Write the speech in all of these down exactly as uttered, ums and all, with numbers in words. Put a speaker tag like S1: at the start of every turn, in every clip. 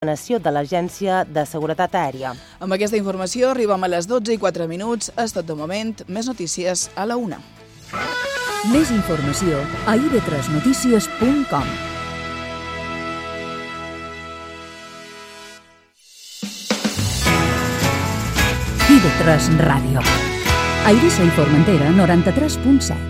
S1: de l'Agència de Seguretat Aèria.
S2: Amb aquesta informació arribem a les dotze i quatre minuts. És tot de moment. Més notícies a la una.
S3: Més informació a i ve tres notícies punt com. i ve tres Ràdio. A Eivissa i Formentera, noranta-tres punt set.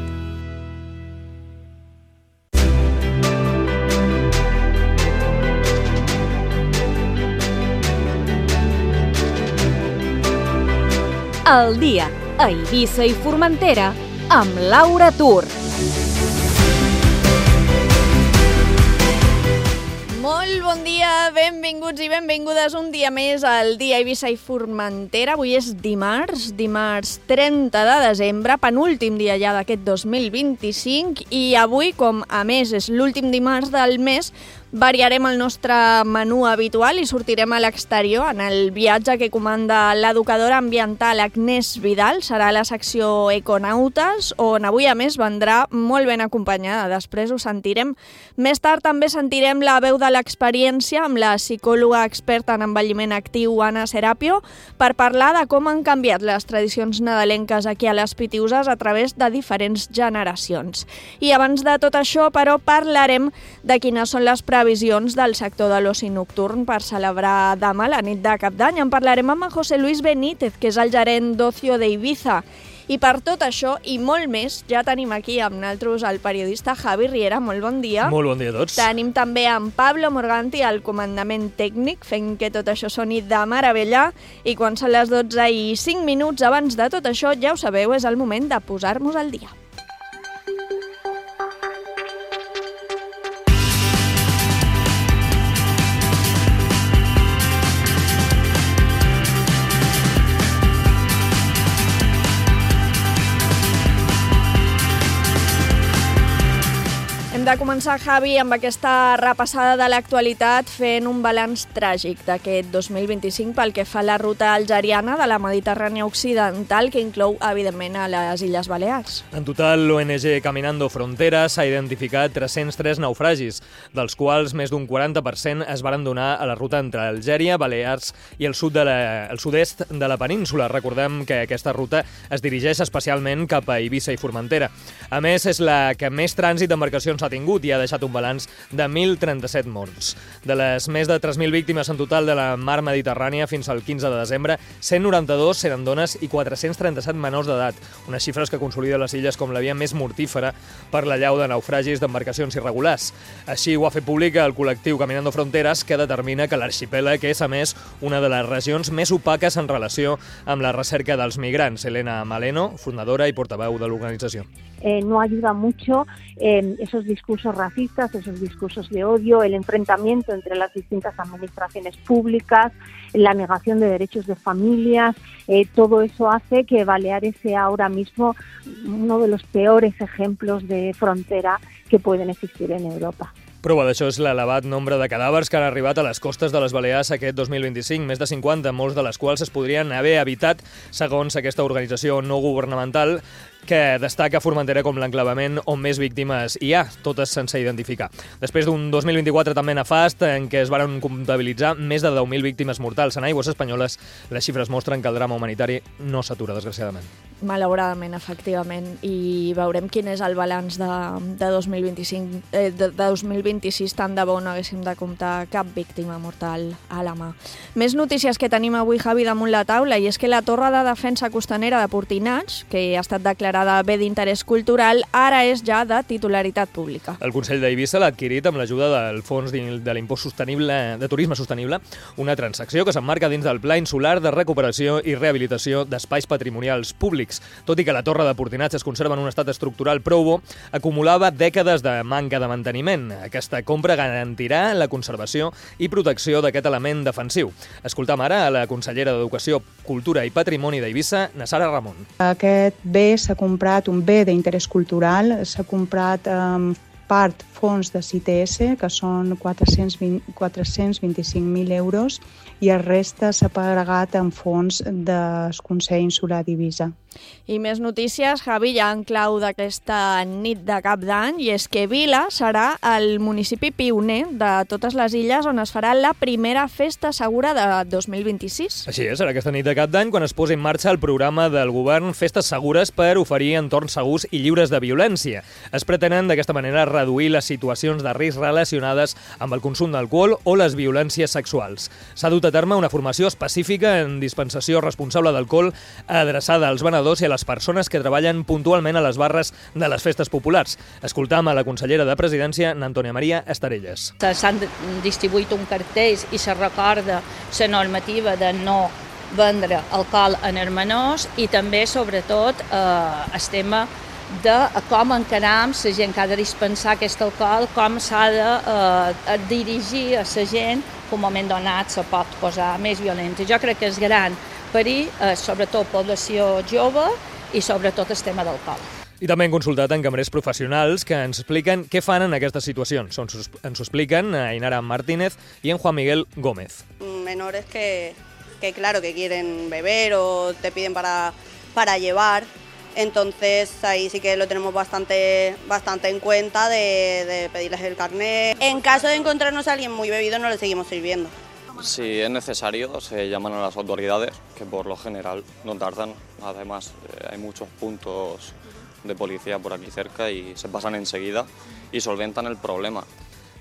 S4: El dia a Eivissa i Formentera amb Laura Tur.
S5: Molt bon dia, benvinguts i benvingudes un dia més al dia a Eivissa i Formentera. Avui és dimarts, dimarts trenta de desembre, penúltim dia ja d'aquest dos mil vint-i-cinc, i avui, com a més és l'últim dimarts del mes, variarem el nostre menú habitual i sortirem a l'exterior en el viatge que comanda l'educadora ambiental Agnès Vidal. Serà la secció Econautes, on avui a més vendrà molt ben acompanyada. Després ho sentirem. Més tard també sentirem la veu de l'experiència amb la psicòloga experta en envelliment actiu Anna Serapio per parlar de com han canviat les tradicions nadalenques aquí a les Pitiüses a través de diferents generacions. I abans de tot això, però, parlarem de quines són les previsions previsions del sector de l'oci nocturn per celebrar demà la nit de Cap d'Any. En parlarem amb en José Luis Benítez, que és el gerent d'Ocio d'Eivissa. I per tot això i molt més, ja tenim aquí amb nosaltres el periodista Javi Riera. Molt bon dia.
S6: Molt bon dia a tots.
S5: Tenim també en Pablo Morganti al comandament tècnic, fent que tot això soni de meravella. I quan són les dotze i cinc minuts abans de tot això, ja ho sabeu, és el moment de posar-nos al dia. Hem de començar, Javi, amb aquesta repassada de l'actualitat fent un balanç tràgic d'aquest dos mil vint-i-cinc pel que fa a la ruta algeriana de la Mediterrània Occidental, que inclou, evidentment, a les Illes Balears.
S6: En total, l'O N G Caminando Fronteras ha identificat tres-cents tres naufragis, dels quals més d'un quaranta per cent es varen donar a la ruta entre Algèria, Balears i el sud de la, el sud-est de la península. Recordem que aquesta ruta es dirigeix especialment cap a Eivissa i Formentera. A més, és la que més trànsit d'embarcacions ha tingut i ha deixat un balanç de mil trenta-set morts. De les més de tres mil víctimes en total de la mar Mediterrània fins al quinze de desembre, cent noranta-dos eren dones i quatre-cents trenta-set menors d'edat, unes xifres que consoliden les illes com la via més mortífera per l'allau de naufragis d'embarcacions irregulars. Així ho ha fet públic el col·lectiu Caminando Fronteras, que determina que l'arxipèlag és, a més, una de les regions més opaques en relació amb la recerca dels migrants. Elena Maleno, fundadora i portaveu de l'organització.
S7: Eh, no ayuda mucho eh, esos discursos racistas, esos discursos de odio, el enfrentamiento entre las distintas administraciones públicas, la negación de derechos de familias, eh, todo eso hace que Baleares sea ahora mismo uno de los peores ejemplos de frontera que pueden existir en Europa.
S6: Prova d'això és l'elevat nombre de cadàvers que han arribat a les costes de les Balears aquest dos mil vint-i-cinc, més de cinquanta, molts de les quals es podrien haver evitat, segons aquesta organització no governamental, que destaca Formentera com l'enclavament on més víctimes hi ha, totes sense identificar. Després d'un dos mil vint-i-quatre també nefast, en què es varen comptabilitzar més de deu mil víctimes mortals en aigües espanyoles, les xifres mostren que el drama humanitari no s'atura, desgraciadament.
S5: Malauradament, efectivament, i veurem quin és el balanç de, de dos mil vint-i-cinc, eh, de, de dos mil vint-i-sis, tant de bo no haguéssim de comptar cap víctima mortal a la mà. Més notícies que tenim avui, Javi, damunt la taula, i és que la Torre de Defensa Costanera de Portinats, que ha estat declarada bé d'interès cultural, ara és ja de titularitat pública.
S6: El Consell d'Eivissa l'ha adquirit amb l'ajuda del Fons de l'Impost Sostenible de Turisme Sostenible, una transacció que s'emmarca dins del Pla Insular de Recuperació i Rehabilitació d'Espais Patrimonials Públics. Tot i que la Torre de Portinats es conserva en un estat estructural prou bo, acumulava dècades de manca de manteniment. Aquesta compra garantirà la conservació i protecció d'aquest element defensiu. Escoltam ara a la consellera d'Educació, Cultura i Patrimoni d'Eivissa, Nassara Ramon.
S8: Aquest bé s'ha comprat, un bé d'interès cultural, s'ha comprat eh, part fons de C I T S, que són quatre-cents vint-i-cinc mil euros, i el resta s'ha pagat en fons del Consell Insular d'Eivissa.
S5: I més notícies, Javi, ja en clau d'aquesta nit de Cap d'Any, i és que Vila serà el municipi pioner de totes les illes on es farà la primera festa segura de dos mil vint-i-sis.
S6: Així és, serà aquesta nit de Cap d'Any quan es posi en marxa el programa del govern Festes Segures per oferir entorns segurs i lliures de violència. Es pretenen d'aquesta manera reduir les situacions de risc relacionades amb el consum d'alcohol o les violències sexuals. S'ha dut a terme una formació específica en dispensació responsable d'alcohol adreçada als venedors i a les persones que treballen puntualment a les barres de les festes populars. Escoltam a la consellera de Presidència, Antònia Maria Estarelles.
S9: S'han distribuït un cartell i se recorda la normativa de no vendre alcohol en els menors i també, sobretot, eh, el tema de com encaram la gent que ha de dispensar aquest alcohol, com s'ha de eh, dirigir a la gent que un moment donat se pot posar més violenta. Jo crec que és gran perill, eh, sobretot població jove i sobretot el tema d'alcohol.
S6: I també hem consultat en cambrers professionals que ens expliquen què fan en aquestes situacions. Ens ho expliquen Ainara Martínez i en Juan Miguel Gómez.
S10: Menores que, que claro, que quieren beber o te piden para, para llevar. Entonces ahí sí que lo tenemos bastante, bastante en cuenta de, de pedirles el carnet. En caso de encontrarnos a alguien muy bebido no le seguimos sirviendo.
S11: Si es necesario se llaman a las autoridades, que por lo general no tardan. Además eh, hay muchos puntos de policía por aquí cerca y se pasan enseguida y solventan el problema.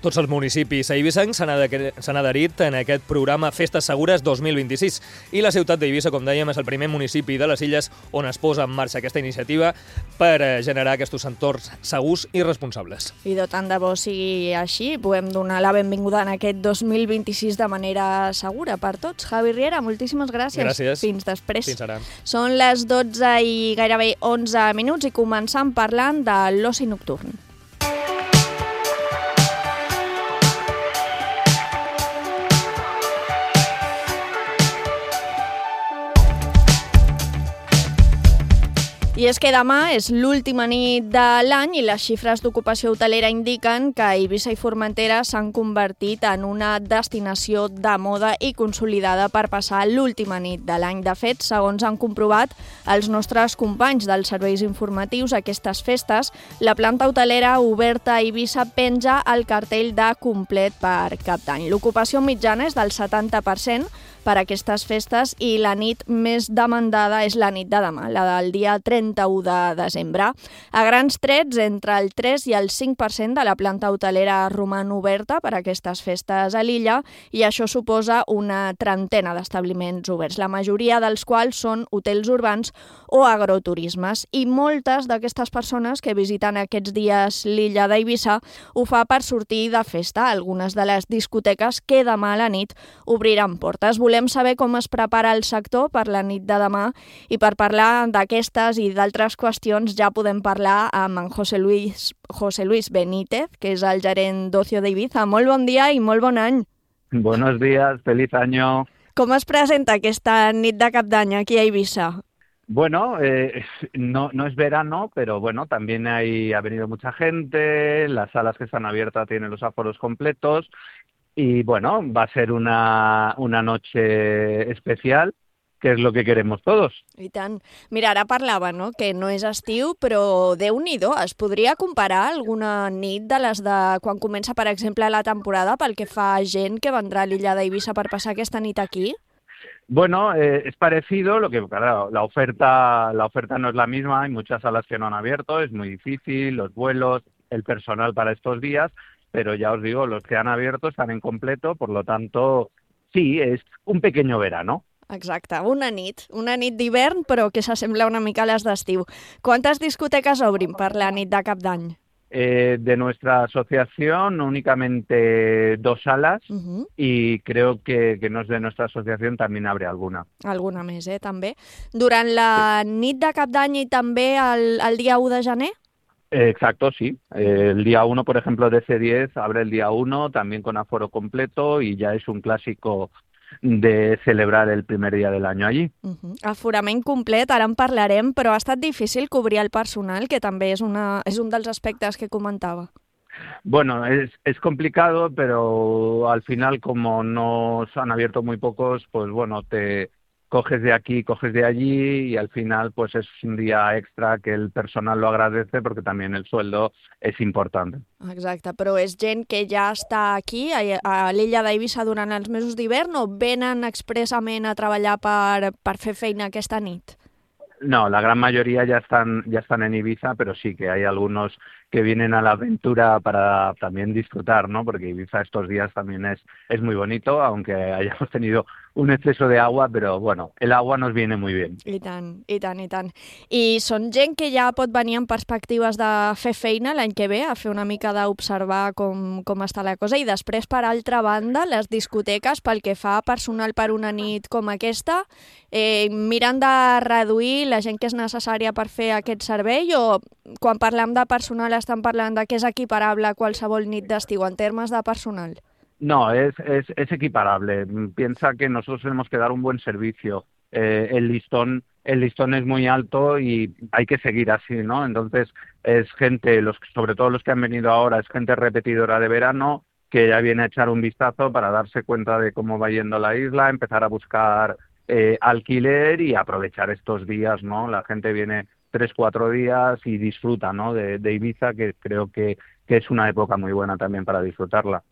S6: Tots els municipis eivissencs s'han adherit en aquest programa Festes Segures dos mil vint-i-sis i la ciutat d'Eivissa, com dèiem, és el primer municipi de les illes on es posa en marxa aquesta iniciativa per generar aquests entorns segurs i responsables.
S5: I de tant de bo sigui així, podem donar la benvinguda en aquest dos mil vint-i-sis de manera segura per tots. Javi Riera, moltíssimes gràcies.
S6: Gràcies.
S5: Fins després.
S6: Fins ara.
S5: Són les dotze i gairebé onze minuts i començam parlant de l'oci nocturn. I és que demà és l'última nit de l'any i les xifres d'ocupació hotelera indiquen que Eivissa i Formentera s'han convertit en una destinació de moda i consolidada per passar l'última nit de l'any. De fet, segons han comprovat els nostres companys dels serveis informatius, aquestes festes, la planta hotelera oberta a Eivissa penja el cartell de complet per Cap d'Any. L'ocupació mitjana és del setanta per cent per a aquestes festes i la nit més demandada és la nit de demà, la del dia trenta-u de desembre. A grans trets, entre el tres i el cinc per cent de la planta hotelera roman oberta per a aquestes festes a l'illa i això suposa una trentena d'establiments oberts, la majoria dels quals són hotels urbans o agroturismes. I moltes d'aquestes persones que visiten aquests dies l'illa d'Eivissa ho fa per sortir de festa. Algunes de les discoteques que demà a la nit obriran portes. Volem saber com es prepara el sector per la nit de demà i per parlar d'aquestes i d'altres qüestions ja podem parlar amb en José Luis, José Luis Benítez, que és el gerent d'Ocio d'Eivissa. Molt bon dia i molt bon any.
S12: Buenos días, feliz año.
S5: Com es presenta aquesta nit de Cap d'Any aquí a Eivissa?
S12: Bueno, eh, no, no es verano, pero bueno, también hay, ha venido mucha gente, las salas que están abiertas tienen los aforos completos. Y bueno, va a ser una, una noche especial, que és el que queremos todos.
S5: I tant. Mira, ara parlava, no?, que no és estiu, però Déu-n'hi-do, es podria comparar alguna nit de les de quan comença, per exemple, la temporada pel que fa a gent que vendrà a l'illa d'Eivissa per passar aquesta nit aquí?
S12: Bueno, eh, es parecido, lo que claro, la oferta, la oferta no es la misma, hay muchas salas que no han abierto, es muy difícil, los vuelos, el personal para estos días, pero ya os digo, los que han abierto están en completo, por lo tanto, sí, es un pequeño verano.
S5: Exacte, una nit, una nit d'hivern, però que s'assembla una mica a les d'estiu. Quantes discoteques obrin per la nit de Cap d'Any?
S12: Eh, de nuestra asociación únicamente dos salas uh-huh. y creo que, que no es de nuestra asociación, también abre alguna.
S5: Alguna més, eh, també. Durant la sí. nit de Cap d'Any i també el, el dia u de gener?
S12: Exacto, sí. Eh, el día uno, por ejemplo, de C diez abre el día uno, también con aforo completo y ya es un clásico de celebrar el primer día del año allí.
S5: Uh-huh. Aforament complet, ara en parlarem, però ha estat difícil cobrir el personal, que també és, una, és un dels aspectes que comentava.
S12: Bueno, es, es complicado, pero al final, como nos han abierto muy pocos, pues bueno, te coges de aquí, coges de allí y al final pues es un día extra que el personal lo agradece porque también el sueldo es importante.
S5: Exacte, però és gent que ja està aquí, a, a l'illa d'Eivissa, durant els mesos d'hivern, o venen expressament a treballar per, per fer feina aquesta nit?
S12: No, la gran mayoría ya están, ya están en Ibiza, pero sí que hay algunos que vienen a la aventura para también disfrutar, ¿no? Porque Ibiza estos días también es, es muy bonito, aunque hayamos tenido un exceso de agua, pero bueno, el agua nos viene muy bien.
S5: I tant, i tant, i tant. I són gent que ja pot venir amb perspectives de fer feina l'any que ve, a fer una mica d'observar com, com està la cosa, i després, per altra banda, les discoteques, pel que fa a personal per una nit com aquesta, eh, miren de reduir la gent que és necessària per fer aquest servei, o quan parlem de personal estan parlant de que és equiparable a qualsevol nit d'estiu en termes de personal?
S12: No, es, es, es equiparable. Piensa que nosotros tenemos que dar un buen servicio. Eh, el listón, el listón es muy alto y hay que seguir así, ¿no? Entonces es gente, los, sobre todo los que han venido ahora, es gente repetidora de verano que ya viene a echar un vistazo para darse cuenta de cómo va yendo la isla, empezar a buscar eh, alquiler y aprovechar estos días, ¿no? La gente viene tres, cuatro días y disfruta, ¿no? de, de Ibiza, que creo que, que es una época muy buena también para disfrutarla.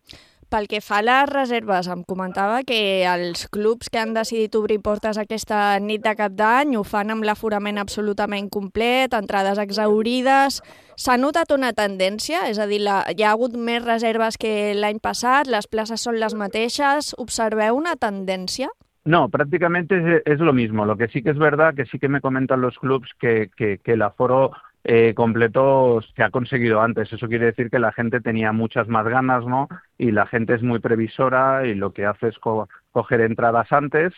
S5: Pel que fa a les reserves, em comentava que els clubs que han decidit obrir portes aquesta nit de cap d'any ho fan amb l'aforament absolutament complet, entrades exhaurides. S'ha notat una tendència? És a dir, la, hi ha hagut més reserves que l'any passat, les places són les mateixes. Observeu una tendència?
S12: No, prácticamente es, es lo mismo. Lo que sí que es verdad, que sí que me comentan los clubs que, que, que el aforo Eh, completo se ha conseguido antes. Eso quiere decir que la gente tenía muchas más ganas, ¿no? Y la gente es muy previsora y lo que hace es co coger entradas antes,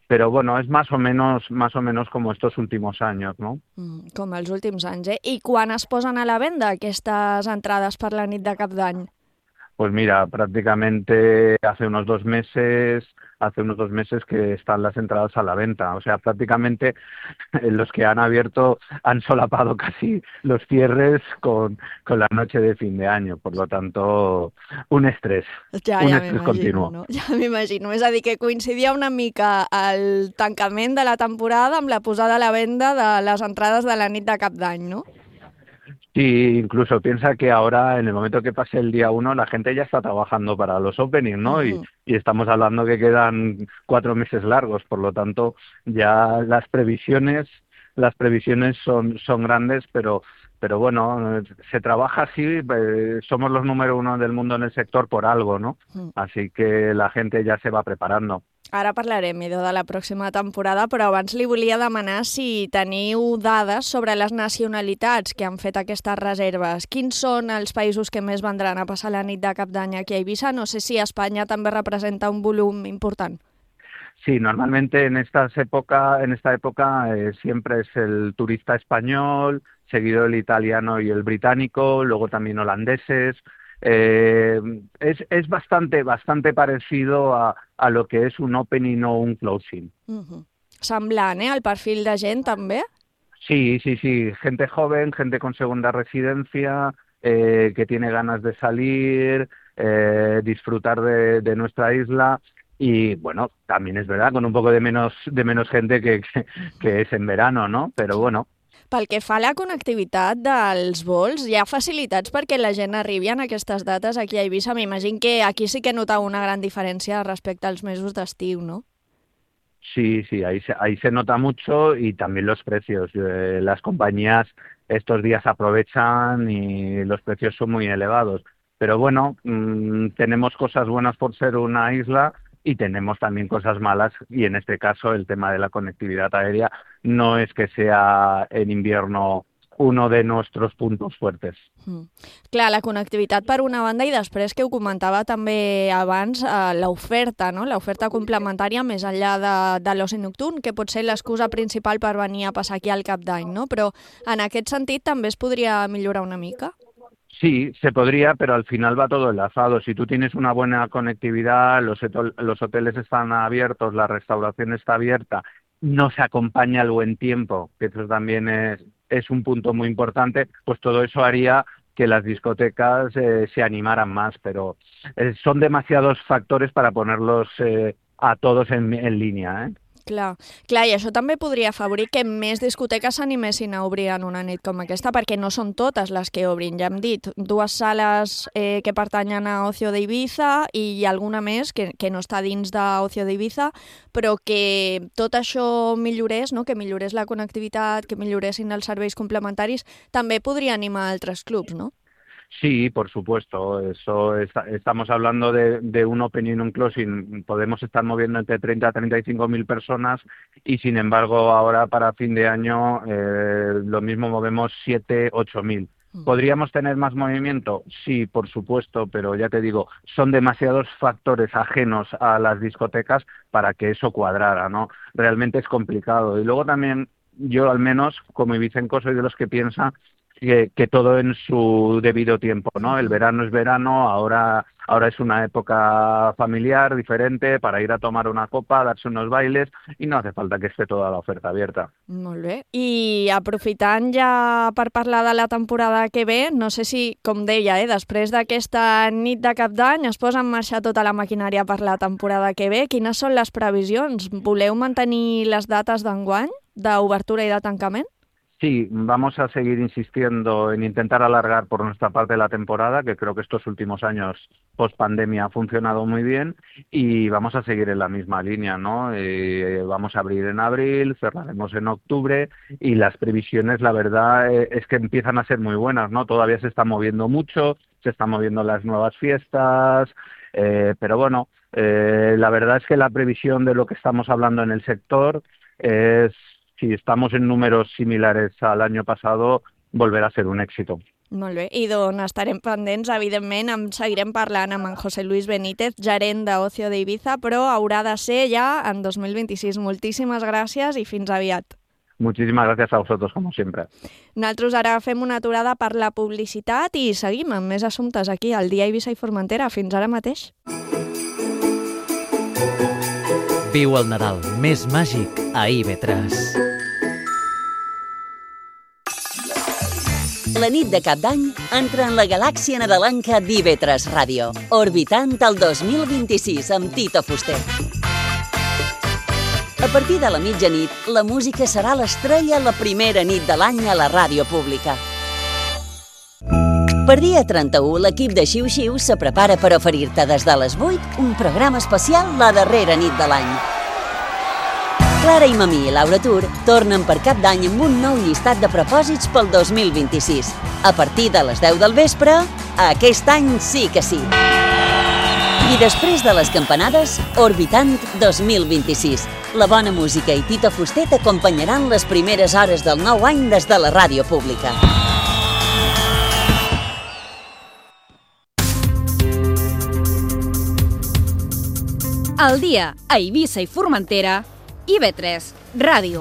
S12: pero bueno, es más o menos más o menos como estos últimos años, ¿no?
S5: Mm, com els últims anys, eh? I quan es posen a la venda aquestes entrades per la nit de cap d'any?
S12: Pues mira, prácticamente hace unos dos meses, hace unos dos meses que están las entradas a la venta. O sea, prácticamente los que han abierto han solapado casi los cierres con, con la noche de fin de año. Por lo tanto, un estrés,
S5: ja,
S12: un
S5: ja
S12: estrés continuo.
S5: No? Ja m'imagino. És a dir, que coincidia una mica el tancament de la temporada amb la posada a la venda de les entrades de la nit de cap d'any, no?
S12: Sí, incluso piensa que ahora, en el momento que pase el día uno, la gente ya está trabajando para los openings, ¿no? Uh-huh. y, y estamos hablando que quedan cuatro meses largos, por lo tanto, ya las previsiones, las previsiones son, son grandes, pero, pero bueno, se trabaja así, eh, somos los número uno del mundo en el sector por algo, ¿no? Uh-huh. Así que la gente ya se va preparando.
S5: Ara parlarem, Edo, de la pròxima temporada, però abans li volia demanar si teniu dades sobre les nacionalitats que han fet aquestes reserves. Quins són els països que més vendran a passar la nit de cap d'any aquí a Eivissa? No sé si Espanya també representa un volum important.
S12: Sí, normalmente en estas época, en esta época eh, siempre es el turista español, seguido el italiano y el británico, luego también holandeses. Eh, es, es bastante bastante parecido a, a lo que es un opening o un closing.
S5: Uh-huh. Semblant, eh? El perfil de gent també?
S12: Sí, sí, sí. Gente joven, gente con segunda residencia, eh, que tiene ganas de salir, eh, disfrutar de, de nuestra isla. Y bueno, también es verdad, con un poco de menos, de menos gente que, que, que es en verano, ¿no? Pero bueno.
S5: Pel que fa a la connectivitat dels vols, hi ha facilitats perquè la gent arribi en aquestes dates aquí a Eivissa? M'imagino que aquí sí que notau una gran diferència respecte als mesos d'estiu, ¿no?
S12: Sí, sí, ahí se, ahí se nota mucho y también los precios. Eh, las compañías estos días aprovechan y los precios son muy elevados. Pero bueno, mmm, tenemos cosas buenas por ser una isla y tenemos también cosas malas, y en este caso el tema de la conectividad aérea no es que sea en invierno uno de nuestros puntos fuertes.
S5: Mm. Clar, la connectivitat per una banda, i després que ho comentava també abans, eh, l'oferta, no? L'oferta complementària més enllà de, de l'oci nocturn, que pot ser l'excusa principal per venir a passar aquí al cap d'any, no? Però en aquest sentit també es podria millorar una mica?
S12: Sí, se podría, pero al final va todo enlazado. Si tú tienes una buena conectividad, los, los hoteles están abiertos, la restauración está abierta, no se acompaña el buen tiempo, que eso también es, es un punto muy importante, pues todo eso haría que las discotecas eh, se animaran más, pero eh, son demasiados factores para ponerlos eh, a todos en, en línia, eh?
S5: Clar, clar, i això també podria afavorir que més discoteques s'animessin a obrir en una nit com aquesta, perquè no són totes les que obrin. Ja hem dit, dues sales eh, que pertanyen a Ocio de Ibiza i alguna més que, que no està dins d'Ocio de Ibiza, però que tot això millorés, no? Que millorés la connectivitat, que milloressin els serveis complementaris, també podria animar altres clubs, no?
S12: Sí, por supuesto. Eso es, estamos hablando de, de un opening y un closing. Podemos estar moviendo entre treinta a treinta y cinco mil personas y, sin embargo, ahora para fin de año eh, lo mismo movemos siete, ocho mil. ¿Podríamos tener más movimiento? Sí, por supuesto, pero ya te digo, son demasiados factores ajenos a las discotecas para que eso cuadrara, ¿no? Realmente es complicado. Y luego también, yo al menos, como ibicenco, soy de los que piensa Que, que todo en su debido tiempo, ¿no? El verano es verano, ahora, ahora es una época familiar diferente para ir a tomar una copa, darse unos bailes y no hace falta que esté toda la oferta abierta.
S5: Molt bé. I aprofitant ja per parlar de la temporada que ve, no sé si, com deia, eh, després d'aquesta nit de cap d'any es posa en marxa tota la maquinària per la temporada que ve. Quines són les previsions? Voleu mantenir les dates d'enguany, d'obertura i de tancament?
S12: Sí, vamos a seguir insistiendo en intentar alargar por nuestra parte la temporada, que creo que estos últimos años post pandemia ha funcionado muy bien, y vamos a seguir en la misma línea, ¿no? Eh, vamos a abrir en abril, cerraremos en octubre y las previsiones, la verdad, eh, es que empiezan a ser muy buenas, ¿no? Todavía se está moviendo mucho, se están moviendo las nuevas fiestas, eh, pero bueno, eh, la verdad es que la previsión de lo que estamos hablando en el sector es, si estamos en números similares al año pasado, volverá a ser un éxito.
S5: Molt bé, i d'on estarem pendents, evidentment, en seguirem parlant amb en José Luis Benítez, gerent d'Ocio de Ibiza, però haurà de ser ja en dos mil vint-i-sis. Moltíssimes gràcies i fins aviat.
S12: Muchísimas gracias a vosotros, como siempre.
S5: Nosaltres ara fem una aturada per la publicitat i seguim amb més assumptes aquí al Dia Eivissa i Formentera. Fins ara mateix.
S13: Viu el Nadal més màgic a I V tres.
S14: La nit de Cap d'Any entra en la galàxia nadalenca d'I V tres Ràdio, orbitant el dos mil vint-i-sis amb Tito Fuster. A partir de la mitjanit, la música serà l'estrella la primera nit de l'any a la ràdio pública. Per dia trenta-u, l'equip de Xiu Xiu se prepara per oferir-te des de les vuit un programa especial la darrera nit de l'any. Clara i Mamí i Laura Tur tornen per Cap d'Any amb un nou llistat de propòsits pel dos mil vint-i-sis. A partir de les deu del vespre, aquest any sí que sí. I després de les campanades, Orbitant dos mil vint-i-sis. La bona música i Tito Fuster t'acompanyaran les primeres hores del nou any des de la ràdio pública.
S4: Al dia a Eivissa i Formentera, I V tres Ràdio.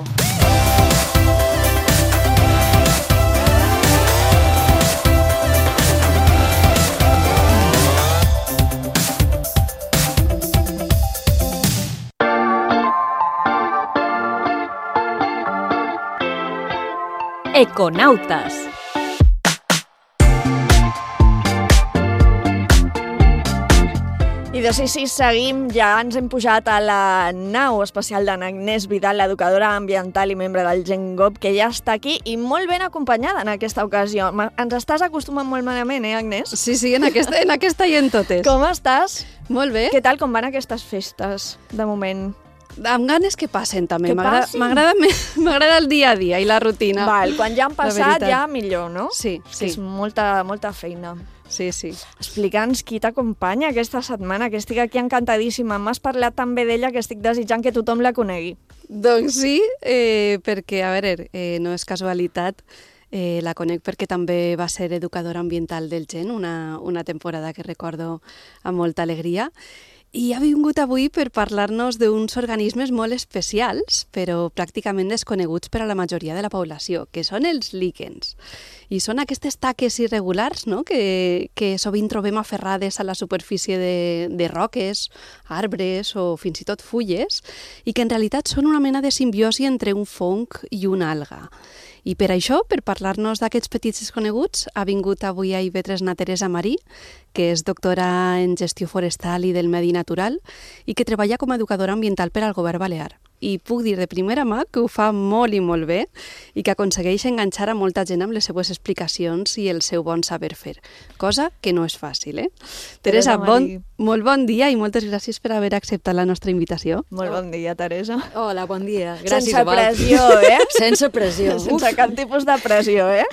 S4: Econautes.
S5: I de sí, sí, seguim, ja ens hem pujat a la nau especial d'Agnès Vidal, l'educadora ambiental i membre del GenGov, que ja està aquí i molt ben acompanyada en aquesta ocasió. Ens estàs acostumant molt malament, eh, Agnès?
S15: Sí, sí, en aquesta, en aquesta i en totes.
S5: Com estàs?
S15: Molt bé.
S5: Què tal, com van aquestes festes, de moment?
S15: Amb ganes que passen, també.
S5: Que passin.
S15: M'agrada el dia a dia i la rutina.
S5: Val, quan ja han passat, ja millor, no?
S15: Sí, sí.
S5: És molta, molta feina.
S15: Sí, sí.
S5: Explica'ns qui t'acompanya aquesta setmana, que estic aquí encantadíssima. M'has parlat tan bé d'ella que estic desitjant que tothom la conegui.
S15: Doncs sí, eh, perquè, a veure, eh, no és casualitat, eh, la conec perquè també va ser educadora ambiental del Gen, una, una temporada que recordo amb molta alegria. I ha vingut avui per parlar-nos d'uns organismes molt especials, però pràcticament desconeguts per a la majoria de la població, que són els líquens. I són aquestes taques irregulars, no?, que, que sovint trobem aferrades a la superfície de, de roques, arbres o fins i tot fulles, i que en realitat són una mena de simbiosi entre un fong i una alga. I per això, per parlar-nos d'aquests petits desconeguts, ha vingut avui a I V tres na Teresa Marí, que és doctora en gestió forestal i del medi natural i que treballa com a educadora ambiental per al govern balear. I puc dir de primera mà que ho fa molt i molt bé i que aconsegueix enganxar a molta gent amb les seues explicacions i el seu bon saber fer, cosa que no és fàcil, eh? Teresa, bon, molt bon dia i moltes gràcies per haver acceptat la nostra invitació.
S5: Molt bon dia, Teresa.
S16: Hola, bon dia. Gràcies
S5: Sense
S16: a vosaltres.
S5: pressió, eh?
S16: Sense pressió.
S5: Sense cap tipus de pressió, eh?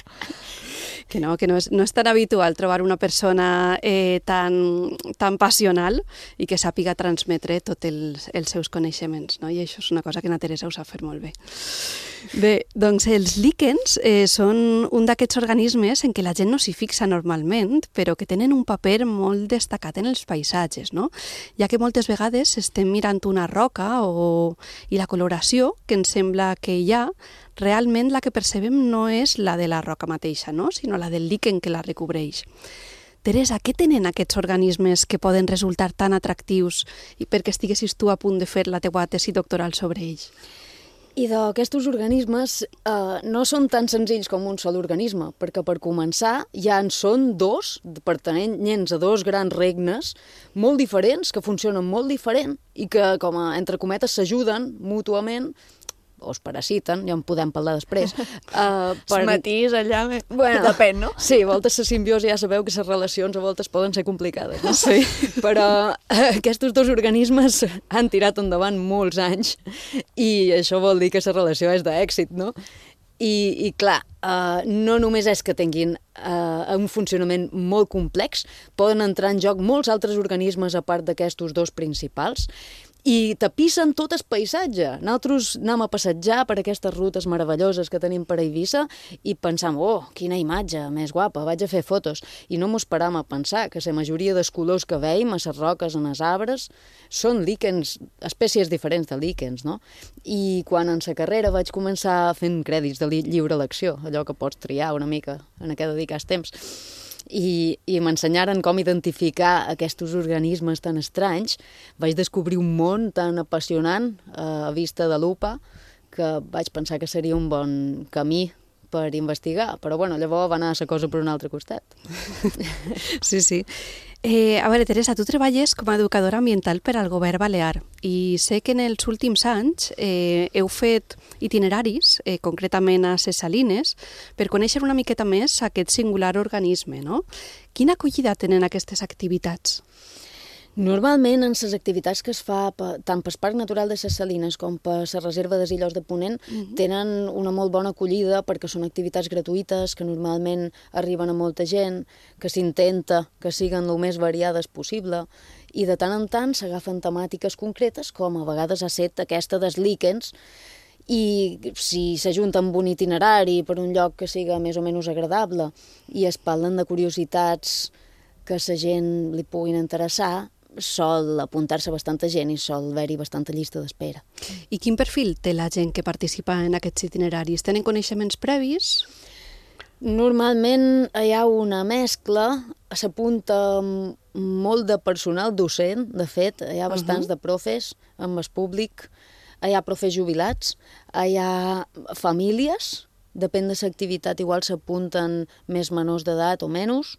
S15: Que no, que no és, no és tan habitual trobar una persona eh, tan, tan passional i que sàpiga transmetre tots els, els seus coneixements, no? I això és una cosa que na Teresa ho sap fer molt bé. Bé, doncs els líquens eh, són un d'aquests organismes en què la gent no s'hi fixa normalment, però que tenen un paper molt destacat en els paisatges, no? Ja que moltes vegades estem mirant una roca o... i la coloració que ens sembla que hi ha, realment la que percebem no és la de la roca mateixa, no? Sinó la del líquen que la recobreix. Teresa, què tenen aquests organismes que poden resultar tan atractius i perquè estiguessis tu a punt de fer la teua tesi doctoral sobre ells?
S16: I d'aquests organismes eh, no són tan senzills com un sol organisme, perquè per començar ja en són dos, pertanyents a dos grans regnes molt diferents, que funcionen molt diferent i que, com a, entre cometes, s'ajuden mútuament, o es parasiten, ja en podem parlar després. Uh,
S5: per... Es matís allà, bueno, depèn, no?
S16: Sí, a voltes la simbiosi ja sabeu que les relacions a voltes poden ser complicades, no?
S15: Sí.
S16: Però uh, aquests dos organismes han tirat endavant molts anys i això vol dir que la relació és d'èxit, no? I, i clar, uh, no només és que tinguin uh, un funcionament molt complex, poden entrar en joc molts altres organismes a part d'aquestos dos principals, i tapissen tot el paisatge. Nosaltres anem a passejar per aquestes rutes meravelloses que tenim per Eivissa i pensam, oh, quina imatge més guapa, vaig a fer fotos. I no m'ho esperam a pensar que la majoria dels colors que veiem a les roques, en els arbres, són líquens, espècies diferents de líquens, no? I quan en la carrera vaig començar fent crèdits de lliure elecció, allò que pots triar una mica en què dedicar el temps, i, i m'ensenyaren com identificar aquests organismes tan estranys, vaig descobrir un món tan apassionant eh, a vista de lupa que vaig pensar que seria un bon camí per investigar, però bueno, llavors va anar la cosa per un altre costat.
S15: Sí, sí. Eh, a veure, Teresa, tu treballes com a educadora ambiental per al govern balear i sé que en els últims anys eh, heu fet itineraris, eh, concretament a ses Salines, per conèixer una miqueta més aquest singular organisme, no? Quina acollida tenen aquestes activitats?
S16: Normalment, en les activitats que es fa tant pel Parc Natural de ses Salines com per la Reserva de Illots de Ponent, uh-huh. tenen una molt bona acollida perquè són activitats gratuïtes que normalment arriben a molta gent, que s'intenta que siguin el més variades possible i de tant en tant s'agafen temàtiques concretes com a vegades ha set aquesta dels líquens i si s'ajunta amb un itinerari per un lloc que siga més o menys agradable i es parlen de curiositats que a la gent li puguin interessar, sol apuntar-se bastanta gent i sol haver-hi bastanta llista d'espera.
S15: I quin perfil té la gent que participa en aquests itineraris? Tenen coneixements previs?
S16: Normalment hi ha una mescla, s'apunta molt de personal docent, de fet, hi ha bastants uh-huh. de profes amb el públic, hi ha profes jubilats, hi ha famílies, depèn de l'activitat, igual s'apunten més menors d'edat o menys,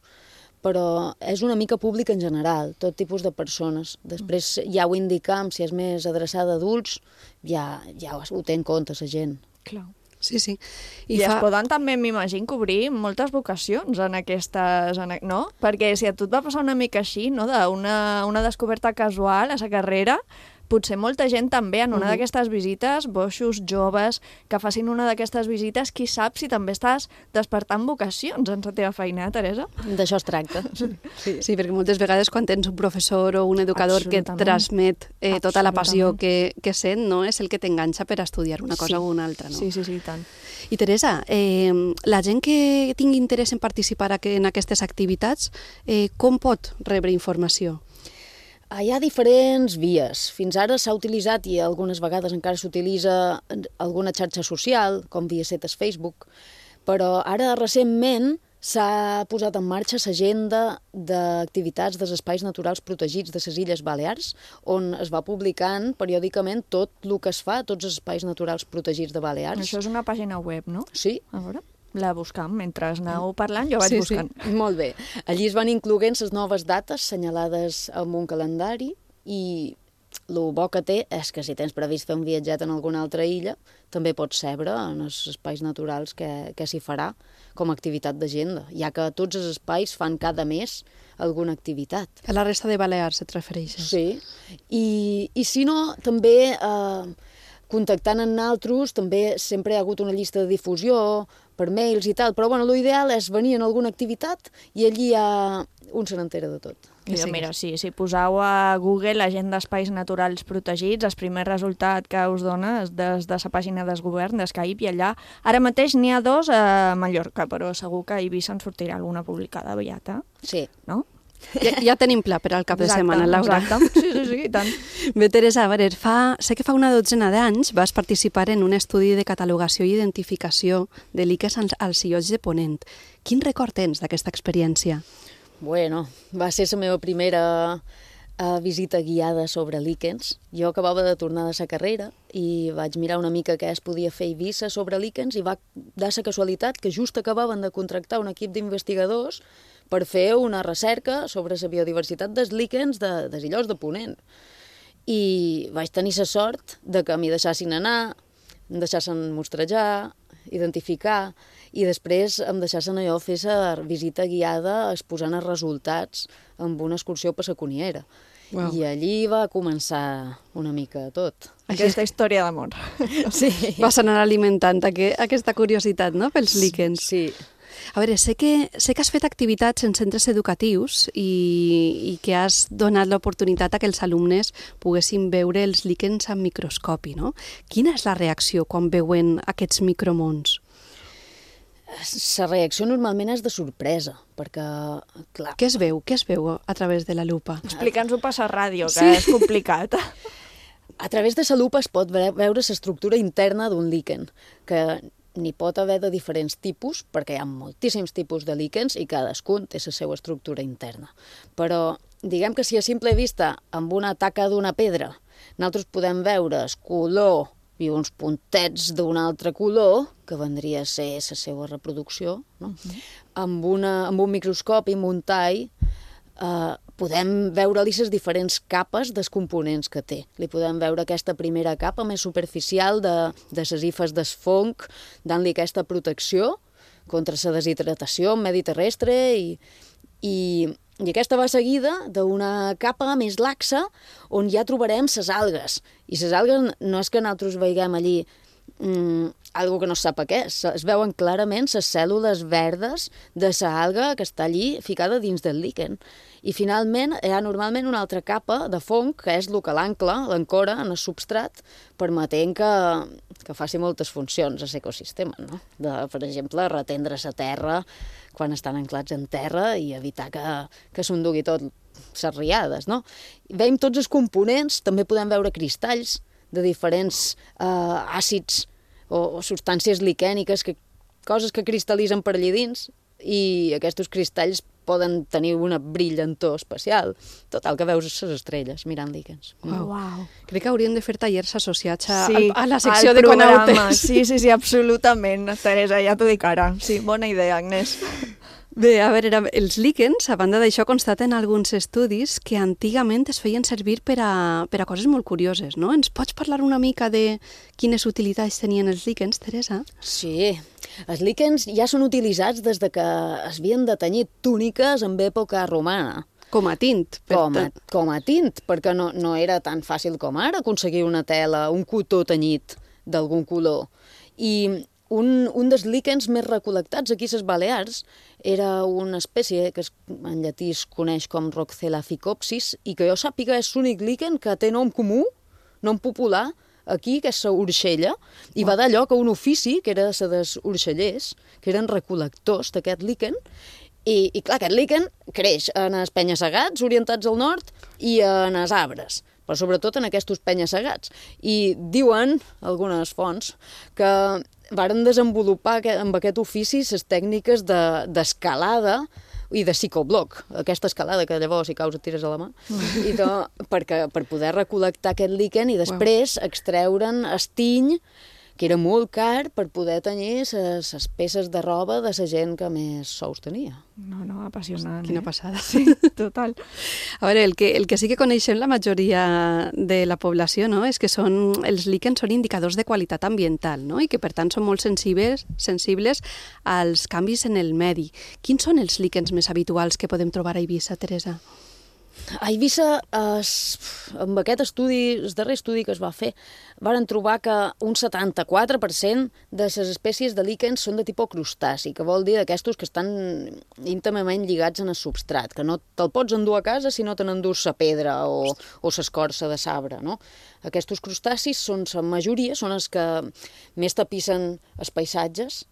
S16: però és una mica públic en general, tot tipus de persones. Després ja ho indicam, si és més adreçada a adults, ja, ja ho té en compte la gent.
S5: Clar.
S15: Sí, sí.
S5: I, I es fa... poden també, m'imagino, cobrir moltes vocacions en aquestes... En... no? Perquè si a tu et va passar una mica així, no? d'una una descoberta casual a la carrera, potser molta gent també en una uh-huh. d'aquestes visites, boixos, joves, que facin una d'aquestes visites, qui sap si també estàs despertant vocacions en la teva feina, Teresa?
S16: D'això es tracta.
S15: Sí, sí, perquè moltes vegades quan tens un professor o un educador que et transmet eh, tota la passió que, que sent, no és el que t'enganxa per estudiar una cosa
S5: sí.
S15: o una altra. No?
S5: Sí, sí, sí, tant.
S15: I Teresa, eh, la gent que tingui interès en participar en aquestes activitats, eh, com pot rebre informació?
S16: Hi ha diferents vies. Fins ara s'ha utilitzat, i algunes vegades encara s'utilitza alguna xarxa social, com via setes Facebook, però ara recentment s'ha posat en marxa l'agenda d'activitats dels espais naturals protegits de les Illes Balears, on es va publicant periòdicament tot el que es fa a tots els espais naturals protegits de Balears.
S5: Això és una pàgina web, no?
S16: Sí.
S5: A veure, la buscam. Mentre aneu parlant, jo vaig
S16: sí,
S5: buscant.
S16: Sí. Molt bé. Allí es van incloent les noves dates senyalades amb un calendari i el bo que té és que si tens previst fer un viatget en alguna altra illa, també pots sebre en els espais naturals que, que s'hi farà com a activitat d'agenda, ja que tots els espais fan cada mes alguna activitat.
S15: A la resta de Balears et refereixes?
S16: Sí, i, i si no, també eh, contactant amb nosaltres, també sempre hi ha hagut una llista de difusió per mails i tal, però bueno, l'ideal és venir en alguna activitat i allí ja un se n'entera de tot.
S5: I sí, mira, sí, si poseu a Google l'agenda d'espais naturals protegits, el primer resultat que us dona és des de la pàgina del govern, d'Skype, i allà ara mateix n'hi ha dos a Mallorca, però segur que a Eivissa en sortirà alguna publicada aviat, eh?
S16: Sí.
S5: No?
S15: Ja, ja tenim pla per al cap
S5: exacte,
S15: de setmana, Laura.
S5: Exacte, sí, sí, sí, i tant.
S15: Bé, Teresa, a veure, fa, sé que fa una dotzena d'anys vas participar en un estudi de catalogació i identificació de líquens als, als illots de Ponent. Quin record tens d'aquesta experiència?
S16: Bueno, va ser la meva primera uh, visita guiada sobre líquens. Jo acabava de tornar de la carrera i vaig mirar una mica què es podia fer a Eivissa sobre líquens i va dar la casualitat que just acabaven de contractar un equip d'investigadors per fer una recerca sobre la biodiversitat dels líquens de, dels illots de Ponent. I vaig tenir la sort de que m'hi deixassin anar, em deixassin mostrejar, identificar, i després em deixassin allò fer la visita guiada exposant els resultats amb una excursió per la Coniera. Wow. I allí va començar una mica tot.
S5: Aquesta història d'amor.
S16: Sí.
S15: Vas anar alimentant aqu aquesta curiositat, no?, pels líquens.
S16: Sí.
S15: A veure, sé que, sé que has fet activitats en centres educatius i, i que has donat l'oportunitat a que els alumnes poguessin veure els líquens amb microscopi, no? Quina és la reacció quan veuen aquests micromons?
S16: La reacció normalment és de sorpresa, perquè, clar...
S15: Què es veu? Què es veu a través de la lupa?
S5: Explica'ns-ho per la ràdio, que
S15: sí.
S5: és complicat.
S16: A través de la lupa es pot veure l'estructura interna d'un líquen, que n'hi pot haver de diferents tipus, perquè hi ha moltíssims tipus de líquens i cadascun té la seva estructura interna. Però diguem que si a simple vista, amb una taca d'una pedra, nosaltres podem veure el color i uns puntets d'un altre color, que vendria a ser la seva reproducció, no? Uh-huh. amb, una, amb un microscopi, amb un tall, eh, podem veure-li les diferents capes dels components que té. Li podem veure aquesta primera capa més superficial de, de les hifes del fong, dant-li aquesta protecció contra la deshidratació en medi terrestre i, i, i aquesta va seguida d'una capa més laxa on ja trobarem les algues. I les algues no és que nosaltres veiem allí mm, algo que no sap què és. Es veuen clarament les cèl·lules verdes de l'alga que està allí ficada dins del líquen. I finalment hi ha normalment una altra capa de fong, que és el que l'ancla, l'ancora en el substrat, permetent que, que faci moltes funcions a l'ecosistema, no? De, per exemple, retendre la terra quan estan anclats en terra i evitar que, que s'endugui tot les riades, no? Veiem tots els components, també podem veure cristalls de diferents eh, àcids o, o substàncies liquèniques, que, coses que cristal·litzen per allà dins, i aquests cristalls poden tenir una brillantor especial. Total, que veus les estrelles mirant líquens.
S15: Uau. Uau. Crec que hauríem de fer tallers associats a,
S5: sí,
S15: a la secció de
S5: programa.
S15: Conautes.
S5: Sí, sí, sí, absolutament, Teresa, ja t'ho dic ara. Sí, bona idea, Agnès.
S15: Bé, a veure, els líquens, a banda d'això, constaten alguns estudis que antigament es feien servir per a, per a coses molt curioses, no? Ens pots parlar una mica de quines utilitats tenien els líquens, Teresa?
S16: Sí, els líquens ja són utilitzats des de que es havien de tenyir túniques en època romana.
S15: Com a tint.
S16: Com a, com a tint, perquè no, no era tan fàcil com ara aconseguir una tela, un cotó tenyit d'algun color. I Un, un dels líquens més recol·lectats aquí a les Balears era una espècie que es, en llatí es coneix com Roxella ficopsis i que jo sàpiga és l'únic líquen que té nom comú, nom popular, aquí, que és la urxella, i va dar lloc a un ofici, que era la dels urxellers, que eren recol·lectors d'aquest líquen, i, i clar, aquest líquen creix en els penya-segats orientats al nord i en els arbres, però sobretot en aquests penya-segats. I diuen algunes fonts que varen desenvolupar amb aquest ofici les tècniques d'escalada i de psicobloc, aquesta escalada que llavors si caus et tires a la mà, mm. i de, perquè, per poder recol·lectar aquest líquen i després wow. extreure'n estiny, que era molt car per poder tenir les peces de roba de la gent que més sous tenia.
S5: No, no, apassionant.
S15: Quina
S5: eh?
S15: passada.
S5: Sí, total.
S15: A veure, el que, el que sí que coneixem la majoria de la població, no?, és que són, els líquens són indicadors de qualitat ambiental, no?, i que per tant són molt sensibles, sensibles als canvis en el medi. Quins són els líquens més habituals que podem trobar a Eivissa, Teresa?
S16: A Eivissa, es, amb aquest estudi, el darrer estudi que es va fer, varen trobar que un setanta-quatre per cent de les espècies de líquens són de tipus crustaci, que vol dir d'aquestos que estan íntimament lligats en el substrat, que no te'l pots endur a casa si no te n'endús la pedra o, o l'escorça de sabre, no? Aquests crustacis són la majoria, són els que més tapissen els paisatges.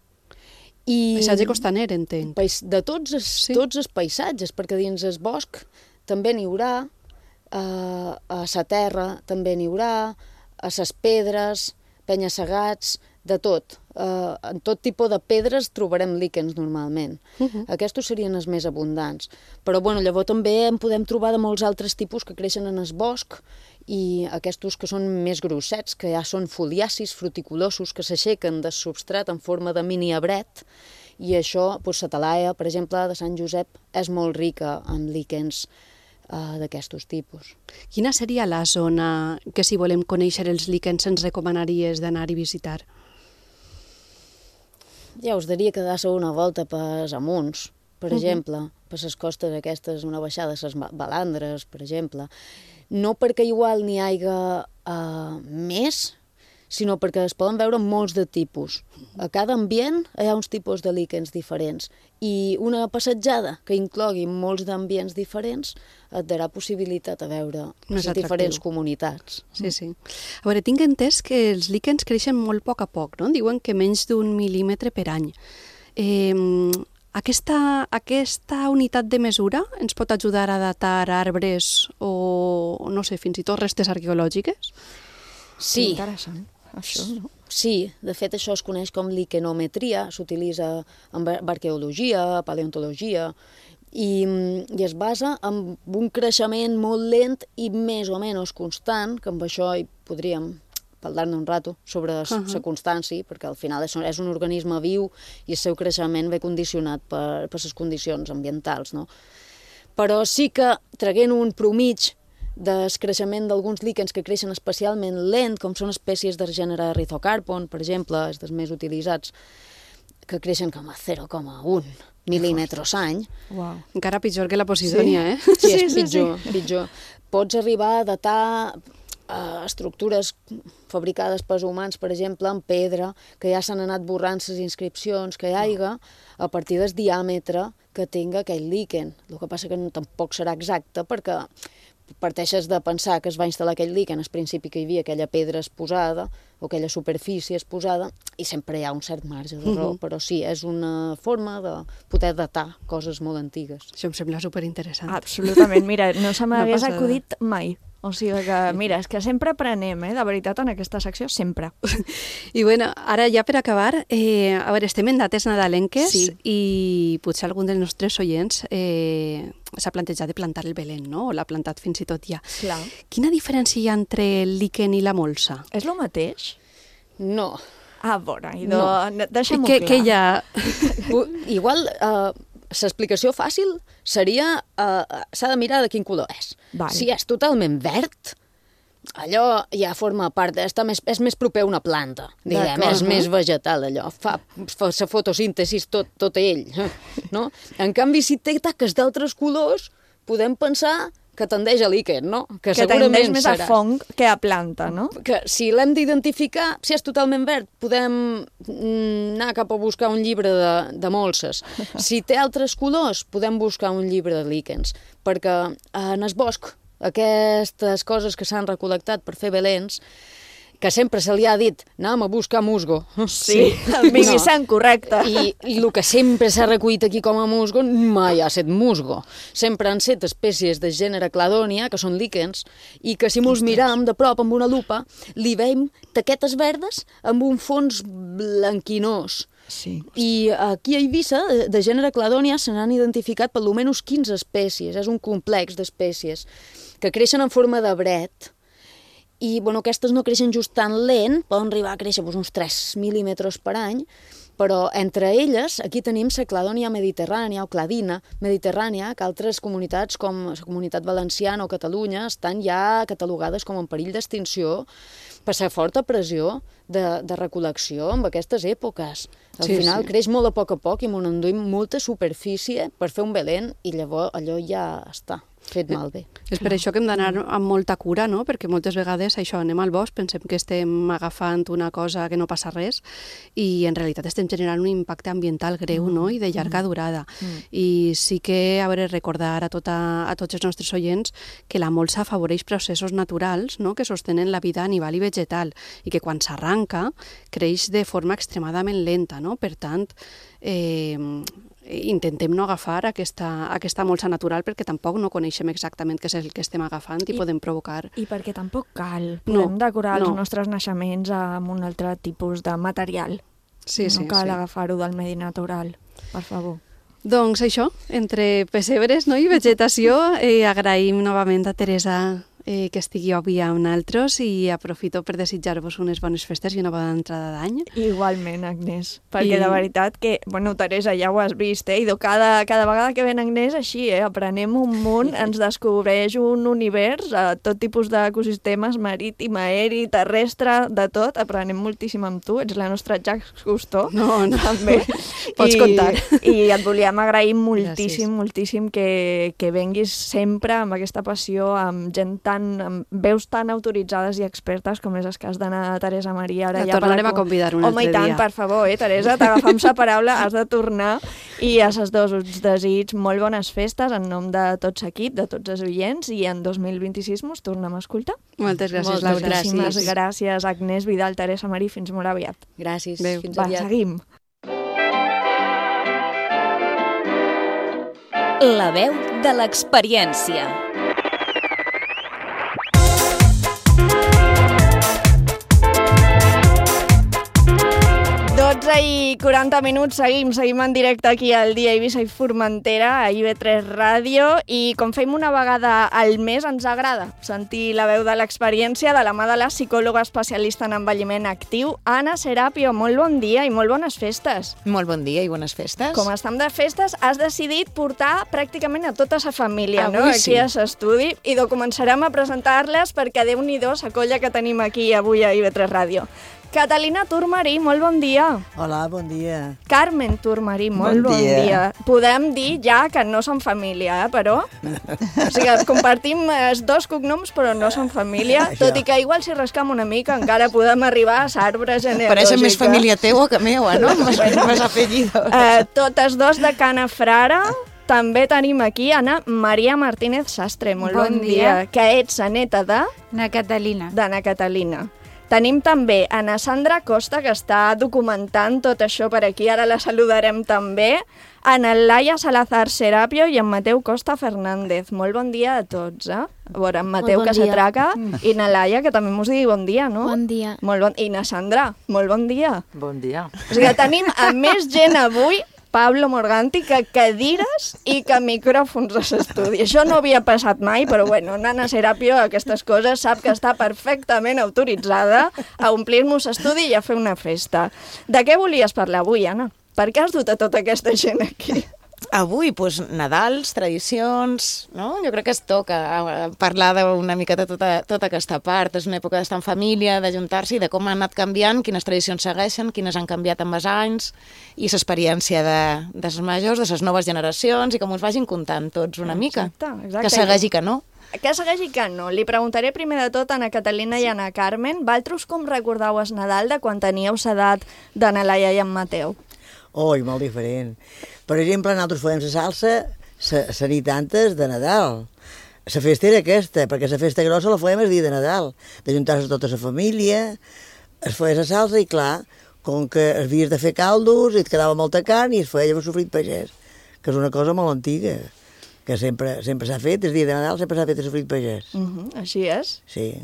S15: I... Paisatge costaner, entenc.
S16: De tots els, sí. tots els paisatges, perquè dins el bosc també n'hi haurà, eh, a la terra també n'hi haurà, a les pedres, penya-segats, de tot. Eh, en tot tipus de pedres trobarem líquens normalment. Uh -huh. Aquests serien els més abundants. Però bueno, llavors també en podem trobar de molts altres tipus que creixen en el bosc i aquests que són més grossets, que ja són foliacis, fruticulosos, que s'aixequen del substrat en forma de mini arbret. I això, doncs, la talaia, per exemple, de Sant Josep, és molt rica en líquens uh, d'aquestos tipus.
S15: Quina seria la zona que, si volem conèixer els líquens, ens recomanaries d'anar i visitar?
S16: Ja us diria que dar-se una volta per amunts, per uh -huh. exemple, per les costes aquestes, una baixada a les balandres, per exemple. No perquè igual n'hi hagi uh, més, sinó perquè es poden veure molts de tipus. A cada ambient hi ha uns tipus de líquens diferents i una passejada que inclogui molts d'ambients diferents et darà possibilitat a veure les diferents comunitats.
S15: Sí, sí. A veure, tinc entès que els líquens creixen molt a poc a poc, no? Diuen que menys d'un mil·límetre per any. Eh, aquesta, aquesta unitat de mesura ens pot ajudar a datar arbres o, no sé, fins i tot restes arqueològiques?
S16: Sí.
S5: Interessant. Això, no?
S16: Sí, de fet això es coneix com liquenometria, s'utilitza en arqueologia, paleontologia, i, i es basa en un creixement molt lent i més o menys constant, que amb això hi podríem parlar-ne un rato sobre la uh-huh. constància, perquè al final és, és un organisme viu i el seu creixement ve condicionat per, per les condicions ambientals, no? Però sí que, traient un promig del creixement d'alguns líquens que creixen especialment lent, com són espècies del gènere Rhizocarpon, per exemple, els dels més utilitzats, que creixen com a zero coma un mil·límetres any.
S15: Wow. Encara pitjor que la Posidònia,
S16: sí.
S15: eh?
S16: Sí, és pitjor, sí, sí. pitjor. Pots arribar a datar uh, estructures fabricades pels humans, per exemple, en pedra, que ja s'han anat borrant les inscripcions que hi haiga, a partir del diàmetre que tinga aquell líquen. El que passa que no, tampoc serà exacte, perquè parteixes de pensar que es va instal·lar aquell líquen al principi que hi havia aquella pedra exposada o aquella superfície exposada i sempre hi ha un cert marge d'error, uh-huh. però sí, és una forma de poder datar coses molt antigues.
S15: Això em sembla superinteressant.
S5: Absolutament, mira, no se m'hagués acudit mai. O sigui que, mira, és que sempre aprenem, eh, de veritat, en aquesta secció, sempre.
S15: I bueno, ara ja per acabar, eh, a veure, estem en dates nadalenques
S5: sí.
S15: i potser algun dels nostres oients eh, s'ha plantejat de plantar el Belén, no? O l'ha plantat fins i tot ja.
S5: Clar.
S15: Quina diferència hi ha entre el líquen i la molsa?
S5: És el mateix?
S16: No.
S5: Ah, bona, idò,
S16: no.
S5: deixem-ho
S15: clar.
S5: Què
S15: hi ha?
S16: Igual... Uh, l'explicació fàcil seria, uh, s'ha de mirar de quin color és.
S5: Vale.
S16: Si és totalment verd, allò ja forma part, està més, és més proper a una planta, diguem, és més vegetal allò, fa, fa la fotosíntesi tot, tot ell, no? En canvi, si té taques d'altres colors, podem pensar que tendeix a líquen, no?
S5: Que, que tendeix més serà. A fong que a planta, no?
S16: Que si l'hem d'identificar, si és totalment verd, podem anar cap a buscar un llibre de, de molses. Si té altres colors, podem buscar un llibre de líquens, perquè en el bosc aquestes coses que s'han recol·lectat per fer belens que sempre se li ha dit anem a buscar musgo.
S5: Sí, el Mimicent, correcte.
S16: I, I el que sempre s'ha recollit aquí com a musgo mai ha estat musgo. Sempre han estat espècies de gènere Cladonia, que són líquens, i que si mos miram de prop amb una lupa, li veiem taquetes verdes amb un fons blanquinós.
S5: Sí.
S16: I aquí a Eivissa, de gènere Cladonia, se n'han identificat per almenys quinze espècies. És un complex d'espècies que creixen en forma de bret. I bueno, aquestes no creixen just tan lent, poden arribar a créixer doncs, uns tres mil·límetres per any, però entre elles aquí tenim la Cladonia mediterrània o Cladina mediterrània, que altres comunitats com la Comunitat Valenciana o Catalunya estan ja catalogades com en perill d'extinció per la forta pressió de, de recol·lecció en aquestes èpoques. Al
S15: sí,
S16: final
S15: sí.
S16: creix molt a poc a poc i m'ho enduim molta superfície per fer un belén i llavors allò ja està fet malbé.
S15: És per això que hem d'anar amb molta cura, no? Perquè moltes vegades això, anem al bosc, pensem que estem agafant una cosa que no passa res i en realitat estem generant un impacte ambiental greu, no? I de llarga durada. Mm. I sí que, a veure, recordar a, tota, a tots els nostres oients que la molsa afavoreix processos naturals, no? Que sostenen la vida animal i vegetal i que quan s'arranca creix de forma extremadament lenta, no? Per tant, eh, intentem no agafar aquesta, aquesta molsa natural perquè tampoc no coneixem exactament què és el que estem agafant i, I podem provocar...
S5: I perquè tampoc cal. Podem
S15: no,
S5: decorar
S15: no.
S5: els nostres naixements amb un altre tipus de material.
S15: Sí,
S5: no
S15: sí,
S5: cal
S15: sí.
S5: agafar-ho del medi natural, per favor.
S15: Doncs això, entre pessebres, no? I vegetació, eh, agraïm novament a Teresa eh, que estigui avui amb nosaltres i aprofito per desitjar-vos unes bones festes i una bona entrada d'any.
S5: Igualment, Agnès, perquè
S15: I...
S5: de veritat que, bueno, Teresa, ja ho has vist, eh? I cada, cada vegada que ven Agnès, així, eh? Aprenem un munt, ens descobreix un univers, a tot tipus d'ecosistemes, marítim, aeri, terrestre, de tot, aprenem moltíssim amb tu, ets la nostra Jacques Cousteau.
S15: No, no,
S5: també.
S15: pots
S5: I,
S15: comptar.
S5: I et volíem agrair moltíssim,
S15: Gràcies.
S5: moltíssim que, que venguis sempre amb aquesta passió, amb gent tan, amb veus tan autoritzades i expertes com és el cas d'Anna Teresa Maria. Ara
S15: La
S5: ja
S15: tornarem
S5: per
S15: a convidar un
S5: Home,
S15: altre
S5: i tant,
S15: dia.
S5: per favor, eh, Teresa, t'agafam sa paraula, has de tornar i a ses dos us desig molt bones festes en nom de tots l'equip, de tots els oients, i en dos mil vint-i-sis mos tornem a escoltar.
S15: Moltes gràcies,
S5: Moltes
S15: Laura.
S5: gràcies.
S15: Gràcies.
S5: gràcies, Agnès Vidal, Teresa Marí, fins molt aviat.
S16: Gràcies,
S15: Adéu.
S16: fins
S5: Va,
S16: aviat.
S5: seguim.
S4: La veu de l'experiència.
S5: dotze i quaranta minuts, seguim, seguim en directe aquí al Dia Eivissa i Formentera, a I V tres Ràdio, i com fem una vegada al mes, ens agrada sentir la veu de l'experiència de la mà de la psicòloga especialista en envelliment actiu, Anna Serapio. Molt bon dia i molt bones festes.
S17: Molt bon dia i bones festes.
S5: Com estem de festes, has decidit portar pràcticament a tota sa família,
S17: Avui
S5: no? Aquí
S17: sí.
S5: a l'estudi, i de començarem a presentar-les perquè Déu-n'hi-do la colla que tenim aquí avui a I V tres Ràdio. Catalina Turmarí, molt bon dia.
S18: Hola, bon dia.
S5: Carmen Turmarí, molt bon,
S18: Bon
S5: dia.
S18: dia.
S5: Podem dir ja que no som família, eh, però... O sigui, compartim els dos cognoms, però no som família,
S17: Això.
S5: tot i que igual si rascam una mica encara podem arribar a l'arbre genealògica.
S17: Pareixen més família teua que meua, no? Més, més apellidos.
S5: Eh, totes dos de Cana Frara. També tenim aquí Anna Maria Martínez Sastre, molt bon,
S19: Bon
S5: dia.
S19: dia.
S5: Que ets la neta de...
S19: Na Catalina.
S5: D'Anna Catalina. Tenim també Ana Sandra Costa, que està documentant tot això per aquí, ara la saludarem també, Ana Laia Salazar Serapio i en Mateu Costa Fernández. Molt bon dia a tots, eh? A veure, en Mateu,
S19: bon
S5: que
S19: dia.
S5: s'atraca, i na Laia, que també mos digui bon dia, no?
S19: Bon dia.
S5: Molt bon... I na Sandra, molt bon dia.
S18: Bon dia.
S5: O sigui, tenim a més gent avui, Pablo Morganti, que cadires i que micròfons a l'estudi. Això no havia passat mai, però bueno, Nana Serapio, aquestes coses, sap que està perfectament autoritzada a omplir-nos l'estudi i a fer una festa. De què volies parlar avui, Anna? Per què has dut a tota aquesta gent aquí?
S17: Avui, doncs, Nadals, tradicions, no? Jo crec que es toca eh, parlar d'una mica de tota, tota aquesta part. És una època d'estar en família, d'ajuntar-se i de com han anat canviant, quines tradicions segueixen, quines han canviat amb els anys, i l'experiència de, dels majors, de les noves generacions, i que ens vagin contant tots una mica.
S5: Exacte, exacte.
S17: Que segueixi que no.
S5: Que segueixi que no. Li preguntaré primer de tot a Ana Catalina i a Ana Carmen. Valtros com recordau el Nadal de quan teníeu l'edat d'Anna Laia i en Mateu?
S18: Oi, molt diferent. Per exemple, nosaltres fèiem la salsa la nit antes de Nadal. la festa era aquesta, perquè la festa grossa la fèiem el dia de Nadal, d'ajuntar-se tota la família, es feia la salsa i clar, com que havies de fer caldos i et quedava molta carn i es feia el sofrit pagès, que és una cosa molt antiga, que sempre sempre s'ha fet, el dia de Nadal sempre s'ha fet el sofrit pagès.
S5: Uh -huh, així és?
S18: Sí.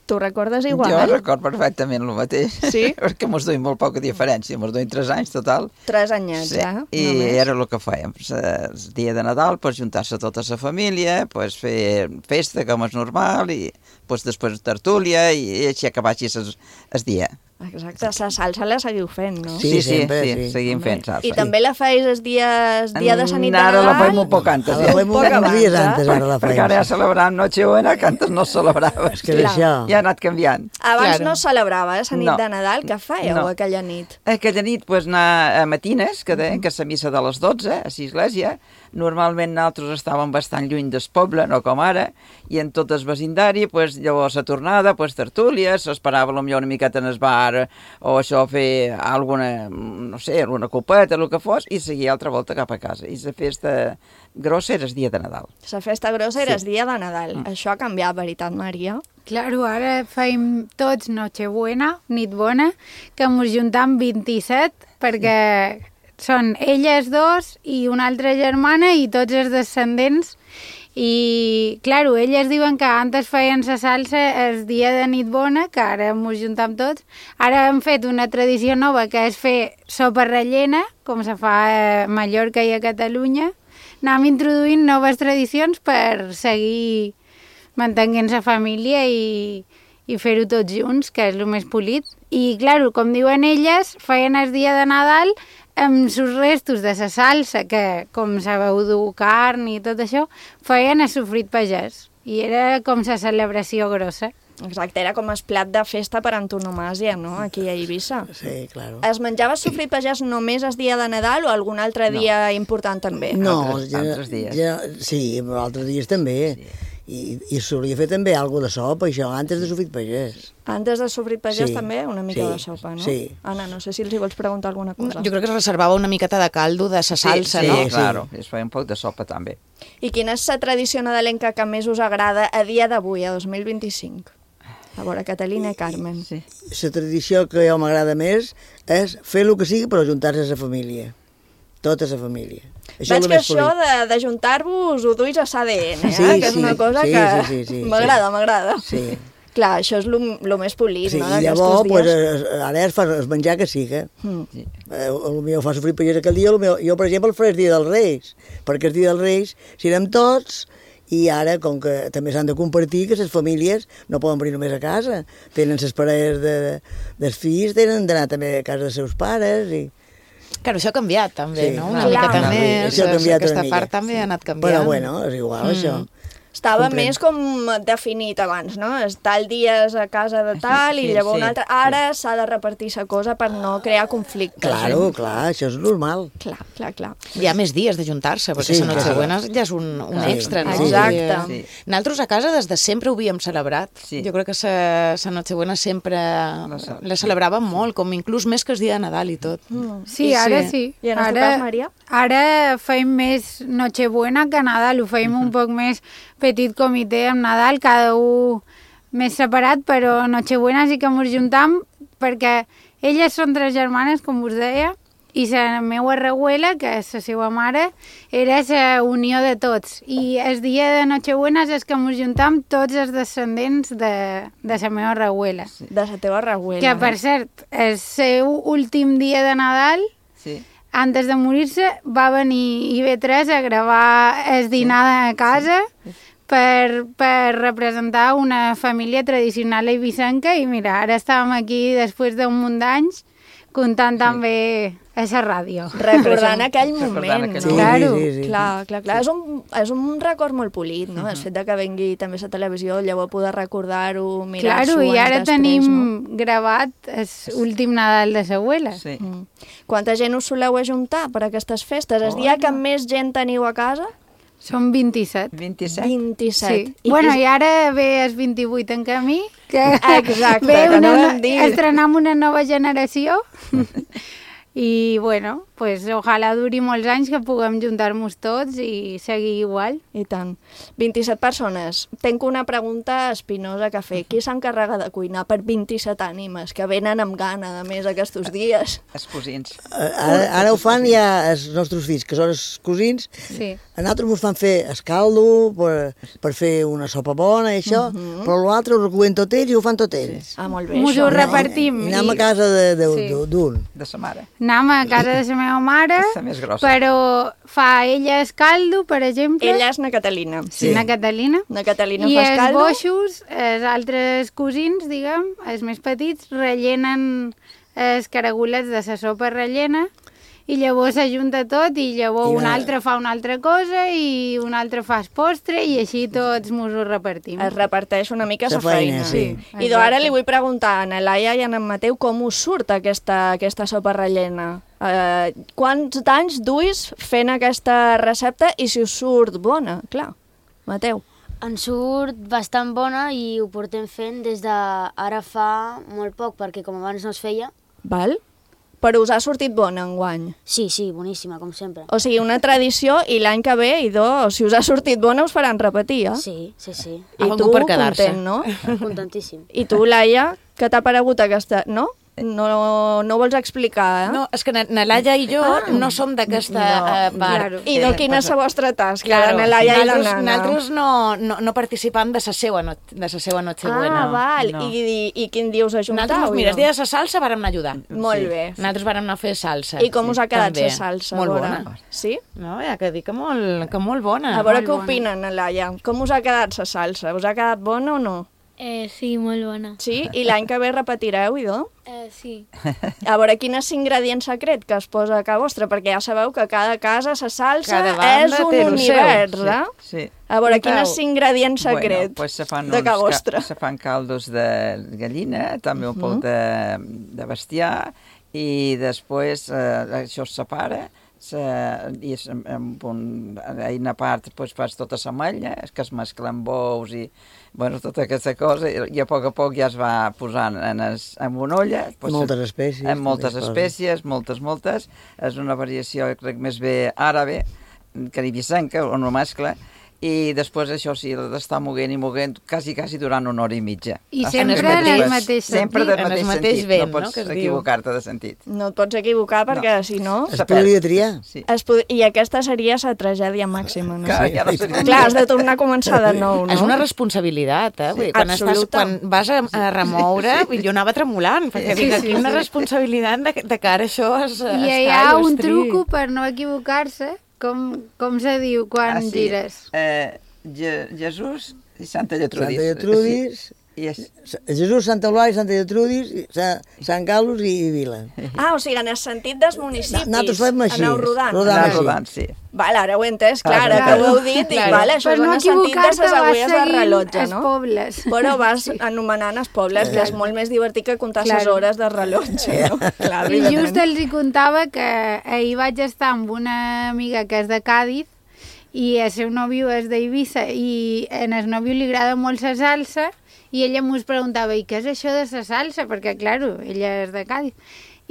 S5: Tu recordes igual?
S19: Jo recordo perfectament el mateix.
S5: Sí?
S19: Perquè mos duim molt poca diferència, mos duim tres anys total.
S5: Tres anyets,
S19: sí.
S5: ja,
S19: I
S5: només.
S19: era el que fèiem. El dia de Nadal, pues, juntar-se tota la família, pues, fer festa com és normal, i pues, després tertúlia, i així acabar així el dia.
S5: Exacte, la salsa la seguiu fent, no?
S19: Sí, sí, sempre, sí, sí, seguim
S5: Home.
S19: fent salsa.
S5: I també la feis el dia, el dia de Sant
S19: Ara
S5: Nadal?
S19: la feim un poc antes.
S18: La feim uns dies antes, ara la feim.
S19: Perquè ara ja celebràvem Nochebuena, que antes no es celebrava.
S18: És que és això.
S19: Ja ha anat canviant.
S5: Abans
S19: Claro.
S5: no es celebrava, eh, la nit
S19: No.
S5: de Nadal. Què fèieu
S19: No.
S5: aquella nit?
S19: Aquella nit, pues, anar a matines, que deien que és la missa de les dotze, a l'església. Normalment nosaltres estàvem bastant lluny del poble, no com ara, i en tot el vecindari, pues, llavors a tornada, pues, tertúlies, s'esperava potser una miqueta en el bar, o això, fer alguna, no sé, alguna copeta, el que fos, i seguir altra volta cap a casa. I la festa grossa era el dia de Nadal.
S5: La festa grossa era
S19: Sí.
S5: el dia de Nadal. Mm. Això ha canviat, veritat, Maria?
S20: Claro, ara feim tots Nochebuena, nit bona, que mos juntam vint-i-set, perquè són elles dos i una altra germana i tots els descendents. I, claro, elles diuen que antes feien la salsa el dia de nit bona, que ara mos juntam tots. Ara hem fet una tradició nova, que és fer sopa rellena, com se fa a Mallorca i a Catalunya. Anem introduint noves tradicions per seguir mantenint la família i, i fer-ho tots junts, que és el més polit. I, clar, com diuen elles, feien el dia de Nadal amb els restos de la salsa, que com sabeu dur carn i tot això, feien el sofrit pagès. I era com la celebració grossa.
S5: Exacte, era com el plat de festa per antonomàsia, no?, aquí a Eivissa.
S18: Sí, claro.
S5: Es menjava sofrit pagès només el dia de Nadal o algun altre
S18: No.
S5: dia important també?
S18: No,
S19: Altres-
S18: ja,
S19: altres dies.
S18: Ja, sí, però altres dies també. Sí. I, I solia fer també alguna de sopa, això, antes de sofrit pagès.
S5: Antes del sofrit pagès
S18: Sí,
S5: també una mica
S18: sí,
S5: de sopa, no?
S18: sí.
S5: Anna, no sé si els hi vols preguntar alguna cosa.
S17: Jo crec que es reservava una miqueta de caldo de sa salsa,
S19: sí,
S17: no?
S19: Sí, claro, es feia un poc de sopa també.
S5: I quina és la tradició nadalenca que més us agrada a dia d'avui, a dos mil vint-i-cinc? A veure, Catalina i Carmen.
S19: Sí.
S18: La tradició que jo m'agrada més és fer el que sigui per ajuntar-se a la família. Tota la família. Això
S5: Veig
S18: és el
S5: que
S18: més
S5: això
S18: polit.
S5: de- d'ajuntar-vos ho duis a l'A D N, eh?
S18: Sí,
S5: que és
S18: sí,
S5: una cosa
S18: sí,
S5: que
S18: sí, sí, sí,
S5: m'agrada,
S18: sí.
S5: m'agrada.
S18: Sí.
S5: Clar, això és el més polit,
S18: Sí,
S5: no,
S18: i
S5: d'aquestos
S18: llavors,
S5: dies.
S18: pues, es- ara es fa es menjar que siga.
S5: Mm.
S18: Eh, el meu fa sofrir pagès aquell dia, el meu, jo, per exemple, el faré el dia dels Reis, perquè el dia dels Reis, si anem tots, i ara, com que també s'han de compartir, que les famílies no poden venir només a casa, tenen les parelles de, dels fills, tenen d'anar també a casa dels seus pares, i...
S17: Claro, això ha canviat també,
S18: Sí,
S17: no? Una
S18: clar.
S17: miqueta
S18: Clar.
S17: més,
S18: Això ha canviat
S17: aquesta
S18: una mica.
S17: part també ha anat canviant.
S18: Però bueno, és igual, això.
S5: Estava
S18: Comprèn.
S5: més com definit abans, no? És tal dia és a casa de tal
S18: Sí,
S5: i llavors
S18: sí,
S5: un altre... Ara s'ha de repartir la cosa per no crear conflictes.
S18: Claro,
S5: eh?
S18: clar, això és normal.
S5: Clar, clar, clar.
S17: Hi ha més dies de juntar-se, perquè
S18: Sí,
S17: la Nochebuena
S18: clar.
S17: ja és un, un
S18: Sí,
S17: extra, no?
S18: sí,
S5: Exacte.
S17: Sí. Nosaltres a casa des de sempre ho havíem celebrat.
S19: Sí.
S17: Jo crec que la Nochebuena sempre la celebràvem molt, com inclús més que el dia de Nadal i tot.
S5: Mm.
S20: Sí, ara sí.
S5: I en el teu
S20: Ara,
S5: cas, Maria?
S20: ara feim més Nochebuena que Nadal, ho feim un poc més petit comitè amb Nadal, cada un més separat, però Nochebuena sí que ens juntam perquè elles són tres germanes, com us deia, i la meva reguela, que és la seva mare, era la unió de tots. I el dia de Nochebuena és que ens juntam tots els descendents de, de la meva reguela.
S5: De la teva reguela.
S20: Que, per cert, el seu últim dia de Nadal,
S19: Sí.
S20: antes de morir-se, va venir I V tres a gravar el dinar a casa per, per representar una família tradicional eivissenca i mira, ara estàvem aquí després d'un munt d'anys comptant també a la ràdio.
S5: Recordant aquell moment,
S19: Recordant aquell
S5: no?
S18: moment.
S5: Claro,
S18: Sí, sí, sí,
S5: clar, clar, clar. És un, és un record molt polit, no? El fet de que vengui també a la televisió, llavors poder recordar-ho, mirar-s'ho
S20: Claro, i ara
S5: anys després,
S20: tenim
S5: no?
S20: gravat l'últim Nadal de l'abuela.
S19: Sí.
S5: Mm. Quanta gent us soleu ajuntar per aquestes festes? El dia que més gent teniu a casa?
S20: Són vint-i-set.
S19: vint-i-set?
S5: vint-i-set.
S20: Sí. Bueno, i ara ve el vint-i-vuit en camí, que
S5: Exacte,
S20: ve
S5: que
S20: una,
S5: no
S20: no,
S5: vam dir.
S20: estrenem una nova generació I, bueno, pues, ojalà duri molts anys que puguem juntar-nos tots i seguir igual.
S5: I tant. vint-i-set persones. Tenc una pregunta espinosa que fer. Qui s'encarrega de cuinar per vint-i-set ànimes que venen amb gana, a més, aquests dies?
S19: Els cosins.
S18: Ara, ara ho fan ja els nostres fills, que són els cosins.
S5: Sí.
S18: A nosaltres ens fan fer escaldo per, per fer una sopa bona i això, uh -huh. però l'altre ho recullen tot ells i ho fan tot ells.
S5: Ah, molt bé.
S20: Mos ho repartim.
S18: I anem a casa d'un.
S20: Sí.
S19: De sa mare.
S20: Anem a casa de la meva mare,
S19: La més grossa.
S20: però fa ella escaldo, per exemple.
S5: Ella és na Catalina.
S20: Sí, na Catalina.
S5: Na Catalina
S20: I
S5: fa
S20: els
S5: escaldo.
S20: boixos, els altres cosins, diguem, els més petits, rellenen els caragolets de la sopa rellena i llavors s'ajunta tot i llavors
S18: I
S20: un
S18: va-
S20: altre fa una altra cosa i un altre fa el postre i així tots mos ho repartim.
S5: Es reparteix una mica
S18: La
S5: la feina.
S18: feina, sí.
S5: I doncs ara li vull preguntar a na Laia i a en Mateu com us surt aquesta, aquesta sopa rellena. Uh, quants anys duis fent aquesta recepta i si us surt bona? Clar, Mateu.
S21: Ens surt bastant bona i ho portem fent des de ara fa molt poc, perquè com abans no es feia.
S5: Val? Però us ha sortit bona enguany?
S21: Sí, sí, boníssima, com sempre.
S5: O sigui, una tradició i l'any que ve, idò, si us ha sortit bona us faran repetir, eh?
S21: Sí, sí, sí.
S5: I tu, content, no?
S21: Contentíssim.
S5: I tu, Laia, què t'ha paregut aquesta... No? No, no ho vols explicar, eh?
S17: No, és que na na Laia i jo
S5: Ah.
S17: no som d'aquesta
S5: No,
S17: eh, part.
S5: claro. I de quina és la vostra tasca,
S17: Claro,
S5: la Laia i la
S17: nosaltres-
S5: nana?
S17: Nosaltres no, no, no participam de la seua, no, de sa seua Nochebuena.
S5: Ah, val.
S17: No.
S5: I, i, I quin dia us ajuntau?
S17: Nosaltres, mira, el
S5: idò?
S17: dia de la salsa vàrem anar a ajudar.
S5: Molt bé.
S17: Nosaltres vàrem anar a fer salsa.
S5: I com us ha quedat
S17: també.
S5: la salsa?
S17: Molt
S5: a veure?
S17: bona.
S5: Sí?
S17: No, ja que dic que molt, que molt bona.
S5: A veure
S17: Molt
S5: què
S17: bona.
S5: opinen, na Laia. Com us ha quedat la salsa? Us ha quedat bona o no?
S22: Eh, sí, molt bona.
S5: Sí? I l'any que ve repetireu, idò?
S22: Eh, sí.
S5: A veure, quin és l'ingredient secret que es posa a casa vostra? Perquè ja sabeu que cada casa, la salsa,
S19: Cada banda
S5: és un
S19: té el
S5: univers,
S19: seu.
S5: eh?
S19: Sí, sí.
S5: A veure,
S19: Un
S5: quin
S19: tau.
S5: és l'ingredient secret
S19: Bueno, pues se fan
S5: de
S19: uns
S5: casa
S19: ca-
S5: vostra?
S19: Se fan caldos de gallina, també un poc de, de bestiar, i després eh, això es separa, se, i es, amb un, a part pues, fas tota la malla, que es mesclen bous i bueno, tota aquesta cosa, i, i a poc a poc ja es va posant en, es, en una olla. Pues,
S18: Moltes espècies,
S19: En moltes
S18: també es
S19: espècies, moltes, moltes. És una variació, jo crec, més bé àrabe, caribisenca, on ho mescla, i després això sí, l'ha d'estar moguent i moguent quasi, quasi durant una hora i mitja.
S20: I
S19: Hasta
S20: sempre
S19: que
S20: en el
S19: pues,
S20: mateix
S19: Sempre
S20: sentit.
S19: del
S17: En el
S19: mateix,
S17: mateix
S19: sentit,
S17: vent,
S19: no
S17: no?,
S19: pots
S17: que es diu.
S19: equivocar-te de sentit.
S5: No et pots equivocar perquè,
S19: No.
S5: si no...
S18: Es podria triar.
S19: Sí.
S5: Es pod... I aquesta seria la tragèdia màxima, no?
S19: Clar, ja no seria-
S5: Clar, has de tornar a començar de nou, no?
S17: És una responsabilitat, eh? Vull dir, quan, estàs,
S5: Absoluta.
S17: quan vas a, a remoure, sí. Jo anava tremolant, perquè
S20: Sí,
S17: dic,
S20: sí,
S17: aquí una
S20: sí.
S17: responsabilitat de, de cara a això es,
S20: I
S17: es
S20: hi ha
S17: talla,
S20: un
S17: es tria.
S20: truco per no equivocar-se. Com, com se diu quan
S19: Ah, sí.
S20: gires?
S19: Eh, Je Jesús i Santa Lletrudis.
S18: Santa Lletrudis,
S19: I és...
S18: Jesús, Santa Eulàlia, Santa Lletrudis, i Sa- Sant Carlos i, i Vila.
S5: Ah, o sigui, en el sentit dels municipis.
S18: Nosaltres fem així,
S5: Aneu rodant.
S18: rodant
S19: Anar
S18: així.
S19: rodant, sí.
S5: Vale, ara ho he entès, clar,
S19: Ah,
S5: ara
S19: clar.
S5: que ho heu dit, dic,
S20: Claro.
S5: vale, això
S20: Per
S5: és
S20: no
S5: en el sentit de
S20: equivocar-te
S5: les
S20: vas
S5: agulles del
S20: seguint
S5: rellotge,
S20: els
S5: no?
S20: pobles.
S5: Però vas anomenant els pobles, que és molt més divertit que comptar les
S20: Claro.
S5: hores de rellotge, no? Clar,
S20: I just
S5: evidentment.
S20: els hi contava que ahir vaig estar amb una amiga que és de Càdiz i el seu nòvio és d'Eivissa i en el nòvio li agrada molt la salsa i ella mos preguntava, i què és això de la salsa? Perquè, clar, ella és de Càdiz.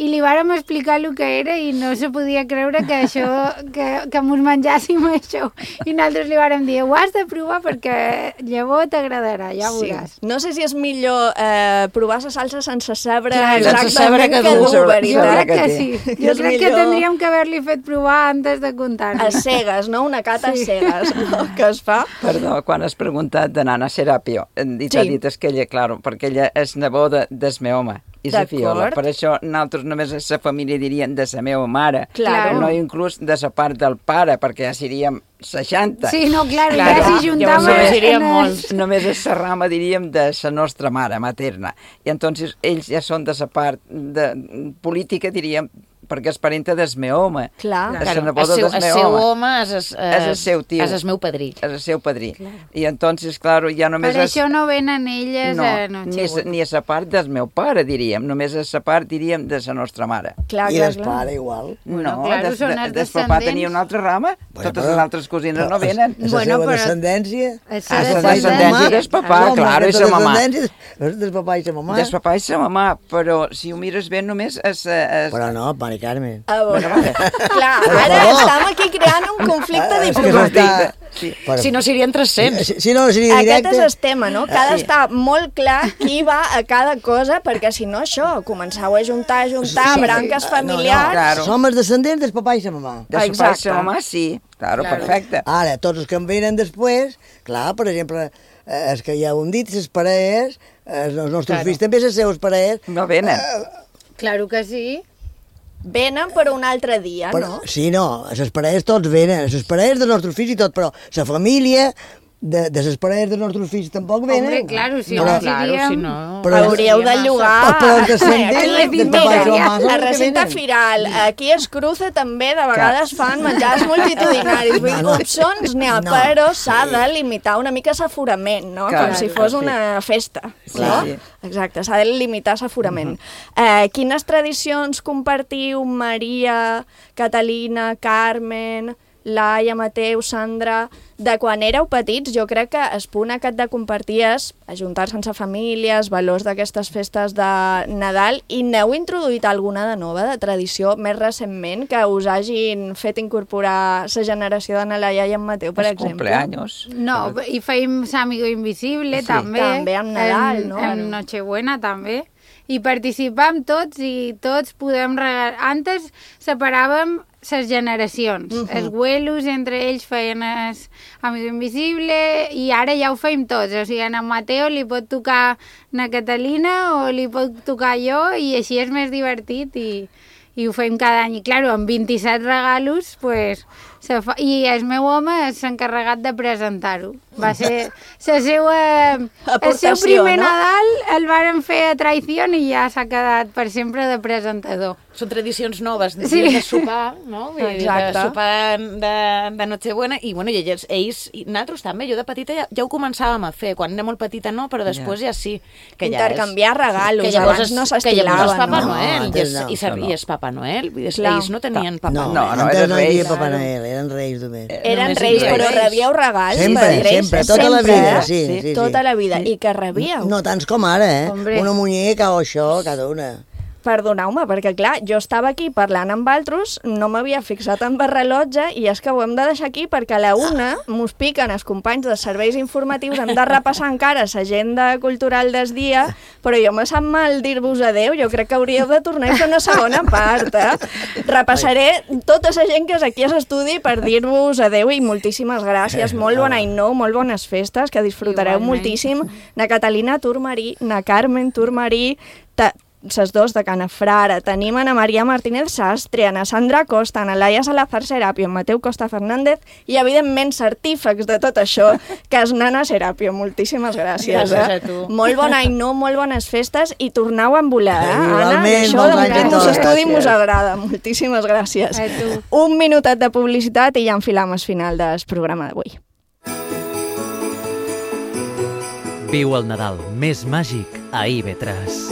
S20: I li vàrem explicar el que era i no se podia creure que això, que, que mos menjàssim això. I nosaltres li vàrem dir, ho has de provar perquè llavors t'agradarà, ja ho veuràs.
S5: No sé si és millor eh, provar la salsa sense sabre
S20: Clar,
S5: exactament
S17: sense saber que
S5: que
S17: dur.
S5: dur,
S20: Jo
S5: veritat.
S20: crec que sí. Jo
S5: És
S20: crec que
S5: millor-
S20: tindríem que haver-li fet provar antes de contar-nos.
S5: A cegues, no? Una cata
S20: Sí.
S5: a cegues, no? Que es fa.
S19: Perdó, quan has preguntat de Nana Serapio, i t'ha
S5: Sí.
S19: dit és que ella, claro, perquè ella és neboda del meu home, i la
S5: D'acord.
S19: fiola. Per això nosaltres només a la família diríem de la meva mare,
S5: Claro.
S19: no inclús de la part del pare, perquè ja seríem seixanta.
S20: Sí, no, clar,
S17: Claro,
S20: ja si juntàvem...
S17: llavors seríem
S20: en el-
S17: molts.
S19: Només és la rama, diríem, de la nostra mare materna. I entonces ells ja són de la part de, política, diríem, perquè és parenta del meu home.
S5: Clar.
S19: És la
S17: Claro,
S19: neboda
S17: el seu,
S19: del
S17: el
S19: meu
S17: seu
S19: home.
S17: home és, és,
S19: És el seu tio.
S17: És el meu padrí.
S19: És el seu padrí. I entonces, claro, ja només
S20: Per
S19: és...
S20: això no venen elles
S19: No,
S20: a
S19: ni, a,
S20: Nochebuena.
S19: ni a la part del meu pare, diríem. Només a la part, diríem, de la nostra mare.
S5: Clar,
S18: I
S5: clar,
S18: el
S5: clar.
S18: pare igual.
S20: Bueno,
S19: no,
S20: claro,
S19: des,
S20: són
S19: de,
S20: els
S19: des papà
S20: descendents.
S19: tenia una altra rama,
S18: Bueno,
S19: totes
S18: però-
S19: les altres cosines no venen.
S18: És la
S20: Bueno,
S18: seva
S20: però-
S18: descendència.
S20: És
S19: Ah,
S20: la
S19: la descendència del papà,
S18: Home,
S19: claro, i
S18: aquesta
S19: sa mamà.
S18: descendència És del papà i sa mamà.
S19: Del papà i sa mamà, però si ho mires bé només és... és
S18: Però no, pare, Carmen.
S5: A veure, clar, ara estem aquí creant un conflicte diplomàtic.
S17: Sí. Si no, serien tres-cents.
S18: Si, si no, seria directe.
S5: Aquest és el tema, no? Que ha d'estar molt clar qui va a cada cosa, perquè si no, això, començau a juntar, a juntar, sí, branques familiars...
S18: No, no, claro. Som els descendents del papà i la mamà.
S19: De su papà i la mamà, sí. Claro, claro, perfecte.
S18: Ara, tots els que em venen després, clar, per exemple, els que ja ho hem dit, les parelles, els nostres claro. fills també, les seves parelles...
S19: No venen.
S18: Uh,
S20: claro que sí.
S5: Venen per un altre dia,
S18: però,
S5: no?
S18: Sí, no, les parelles tots venen, les parelles dels nostres fills i tot, però la família de, de les parelles dels nostres fills tampoc venen.
S20: Hombre, claro, si
S18: però,
S20: no, claro, si no...
S5: Però hauríeu de llogar...
S18: Però el descendent del papà i la mamà...
S5: La receta firal, aquí es cruce també, de vegades fan menjars multitudinaris, vull dir, opcions n'hi ha, però s'ha de limitar una mica l'aforament, no? Com si fos una festa, no? Exacte, s'ha de limitar l'aforament. Eh, quines tradicions compartiu, Maria, Catalina, Carmen, Laia, Mateu, Sandra... De quan éreu petits, jo crec que el punt aquest de compartir és ajuntar-se amb famílies, valors d'aquestes festes de Nadal, i n'heu introduït alguna de nova, de tradició, més recentment, que us hagin fet incorporar la generació de na Laia i en Mateu, per exemple?
S19: Cumpleaños.
S20: No, i feim Amigo Invisible,
S5: Sí.
S20: també.
S5: També amb Nadal,
S20: en,
S5: no?
S20: En Nochebuena, també. I participam tots i tots podem regalar... Antes separàvem les generacions. Uh -huh. Els abuelos entre ells feien el Amigo Invisible i ara ja ho feim tots. O sigui, a Mateo li pot tocar na Catalina o li pot tocar jo i així és més divertit i, i ho fem cada any. I, clar, amb vint-i-set regalos, pues, se fa... i el meu home és encarregat de presentar-ho. Va ser la seva... el seu primer
S5: no?
S20: Nadal el varen fer a traïció i ja s'ha quedat per sempre de presentador.
S17: Són tradicions noves, de,
S20: Sí.
S17: de sopar, no? Vull dir,
S5: Exacte.
S17: de sopar de, de Nochebuena, i, bueno, i ells, ells, i nosaltres també, jo de petita ja, ja ho començàvem a fer, quan era molt petita no, però després ja, ja sí. Que
S5: Intercanviar
S17: ja és,
S5: regalos,
S17: que llavors
S5: abans no
S17: Que llavors
S5: s'estilaven,
S17: és Papa
S5: no?
S17: Noel,
S18: No,
S17: i, és,
S18: no,
S17: i, ser,
S19: no, no.
S17: i és Papa Noel, vull dir,
S5: Clar.
S17: ells no tenien Papa
S18: No,
S17: Noel.
S18: no, no,
S19: eren
S18: eren no hi havia
S19: reis.
S18: Papa Noel, eren reis només.
S5: Eren
S17: Només
S5: reis,
S17: eren
S5: però
S17: reis.
S5: rebíeu regals
S18: Sempre,
S5: per reis,
S18: sempre, tota la
S5: sempre,
S18: vida,
S5: eh?
S18: sí, sí, sí.
S5: Tota la vida. I que rebíeu?
S18: No tants com ara, eh?
S20: Hombre.
S18: Una muñeca o això, cada una.
S5: Perdoneu-me, perquè clar, jo estava aquí parlant amb altres, no m'havia fixat en el rellotge i és que ho hem de deixar aquí perquè a la una mos piquen els companys dels serveis informatius, hem de repassar encara l'agenda cultural del dia, però jo me sap mal dir-vos adeu, jo crec que hauríeu de tornar a fer una segona part, eh? Repassaré tota la gent que és aquí a l'estudi per dir-vos adeu i moltíssimes gràcies, molt bon any nou, molt bones festes, que disfrutareu
S20: Igualment.
S5: moltíssim. Na Catalina Turmarí, na Carmen Turmarí, ta ses dos de Canafrara, tenim a na Maria Martínez Sastre, a na Sandra Costa, a na Laia Salazar Serapio, en Mateu Costa Fernández i, evidentment, certífecs de tot això, que és Nana Serapio. Moltíssimes gràcies.
S17: Gràcies
S5: eh?
S17: a tu.
S5: Molt bon any nou, molt bones festes i tornau a volar, eh, Anna?
S18: Igualment,
S5: Això
S18: molts
S5: del
S18: anys a
S5: Campus
S18: tots.
S5: Estudi mos
S18: Gràcies.
S5: agrada. Moltíssimes gràcies.
S20: A tu.
S5: Un minutet de publicitat i ja enfilam el final del programa d'avui.
S13: Viu el Nadal més màgic a I V tres.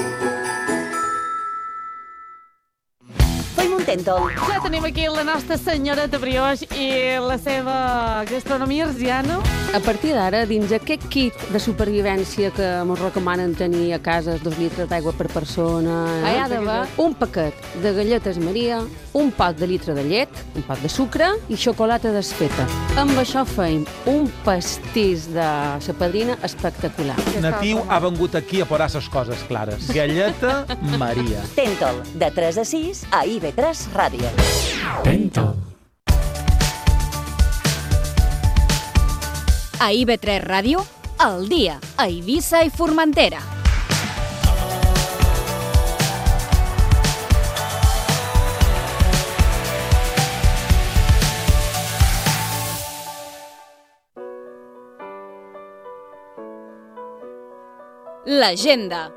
S14: Tentol.
S1: Ja tenim aquí la nostra senyoreta brioix i la seva gastronomia arsiana.
S2: A partir d'ara, dins aquest kit de supervivència que ens recomanen tenir a casa, dos litres d'aigua per persona,
S1: Ah, hi ha d'haver.
S2: un paquet de galletes Maria, un pot de litre de llet, un pot de sucre i xocolata desfeta. Amb això feim un pastís de la padrina espectacular.
S23: Natiu ha vengut aquí a posar les coses clares. Galleta Maria.
S14: Tentol, de tres a sis a I V tres Ràdio.
S23: Tentol.
S4: A I V tres Ràdio, al dia, a Eivissa i Formentera. L'agenda.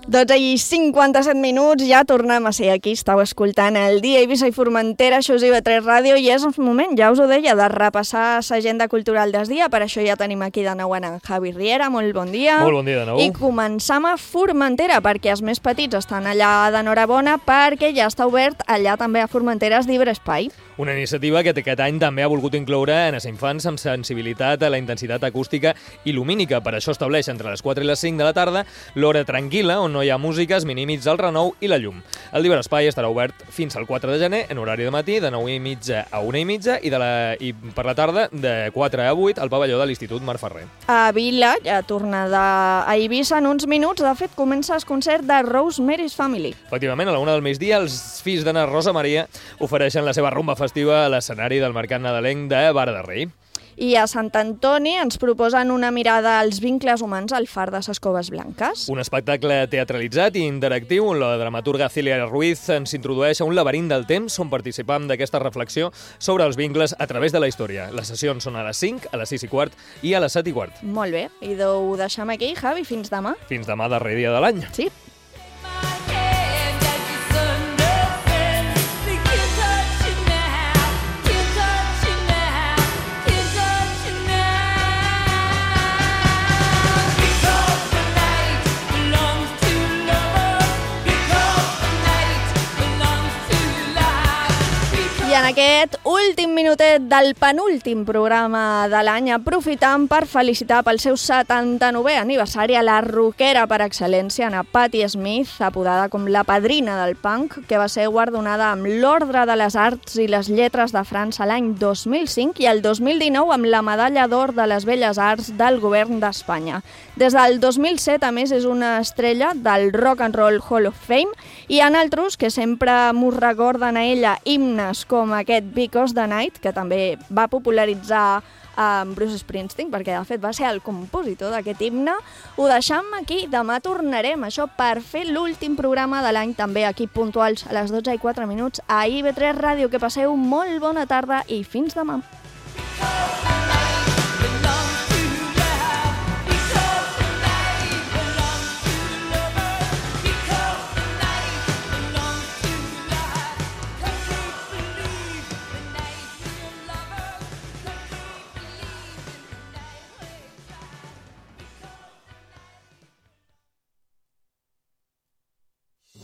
S5: dotze i cinquanta-set minuts, ja tornem a ser aquí. Estàu escoltant el Dia Eivissa i Formentera, això és I V tres Ràdio, i és un moment, ja us ho deia, de repassar l'agenda cultural del dia. Per això ja tenim aquí de nou en Javi Riera. Molt bon dia.
S6: Molt bon dia de nou.
S5: I començam a Formentera, perquè els més petits estan allà d'enhorabona, perquè ja està obert allà també a Formentera el Llibre Espai.
S6: Una iniciativa que aquest any també ha volgut incloure en els infants amb sensibilitat a la intensitat acústica i lumínica. Per això estableix entre les quatre i les cinc de la tarda l'hora tranquil·la, on no hi ha música, es minimitzar el renou i la llum. El Llibre Espai estarà obert fins al quatre de gener, en horari de matí, de nou i mitja a una i mitja, i, de la, i per la tarda, de quatre a vuit, al pavelló de l'Institut Mar Ferrer.
S5: A Vila, ja tornada a Eivissa en uns minuts, de fet, comença el concert de Rosemary's Family.
S6: Efectivament, a la una del migdia, els fills d'Anna Rosa Maria ofereixen la seva rumba festiva a l'escenari del Mercat Nadalenc de Vara de Rei.
S5: I a Sant Antoni ens proposen una mirada als vincles humans al far de ses Coves Blanques.
S6: Un espectacle teatralitzat i interactiu on la dramaturga Celia Ruiz ens introdueix a un laberint del temps on participam d'aquesta reflexió sobre els vincles a través de la història. Les sessions són a les cinc, a les sis i quart i a les set i quart.
S5: Molt bé, i ho deixem aquí, Javi, fins demà.
S6: Fins demà, darrer dia de l'any.
S5: Sí. I en aquest últim minutet del penúltim programa de l'any aprofitam per felicitar pel seu setanta-novè aniversari a la rockera per excel·lència, a Patti Smith, apodada com la padrina del punk, que va ser guardonada amb l'Ordre de les Arts i les Lletres de França l'any dos mil cinc i el dos mil dinou amb la Medalla d'Or de les Belles Arts del Govern d'Espanya. Des del dos mil set, a més, és una estrella del Rock and Roll Hall of Fame i hi ha altres que sempre m'ho recorden a ella himnes com com aquest Because the Night, que també va popularitzar um, Bruce Springsteen, perquè de fet va ser el compositor d'aquest himne. Ho deixam aquí, demà tornarem, això per fer l'últim programa de l'any, també aquí puntuals a les dotze i quatre minuts a I V tres Ràdio. Que passeu molt bona tarda i fins demà.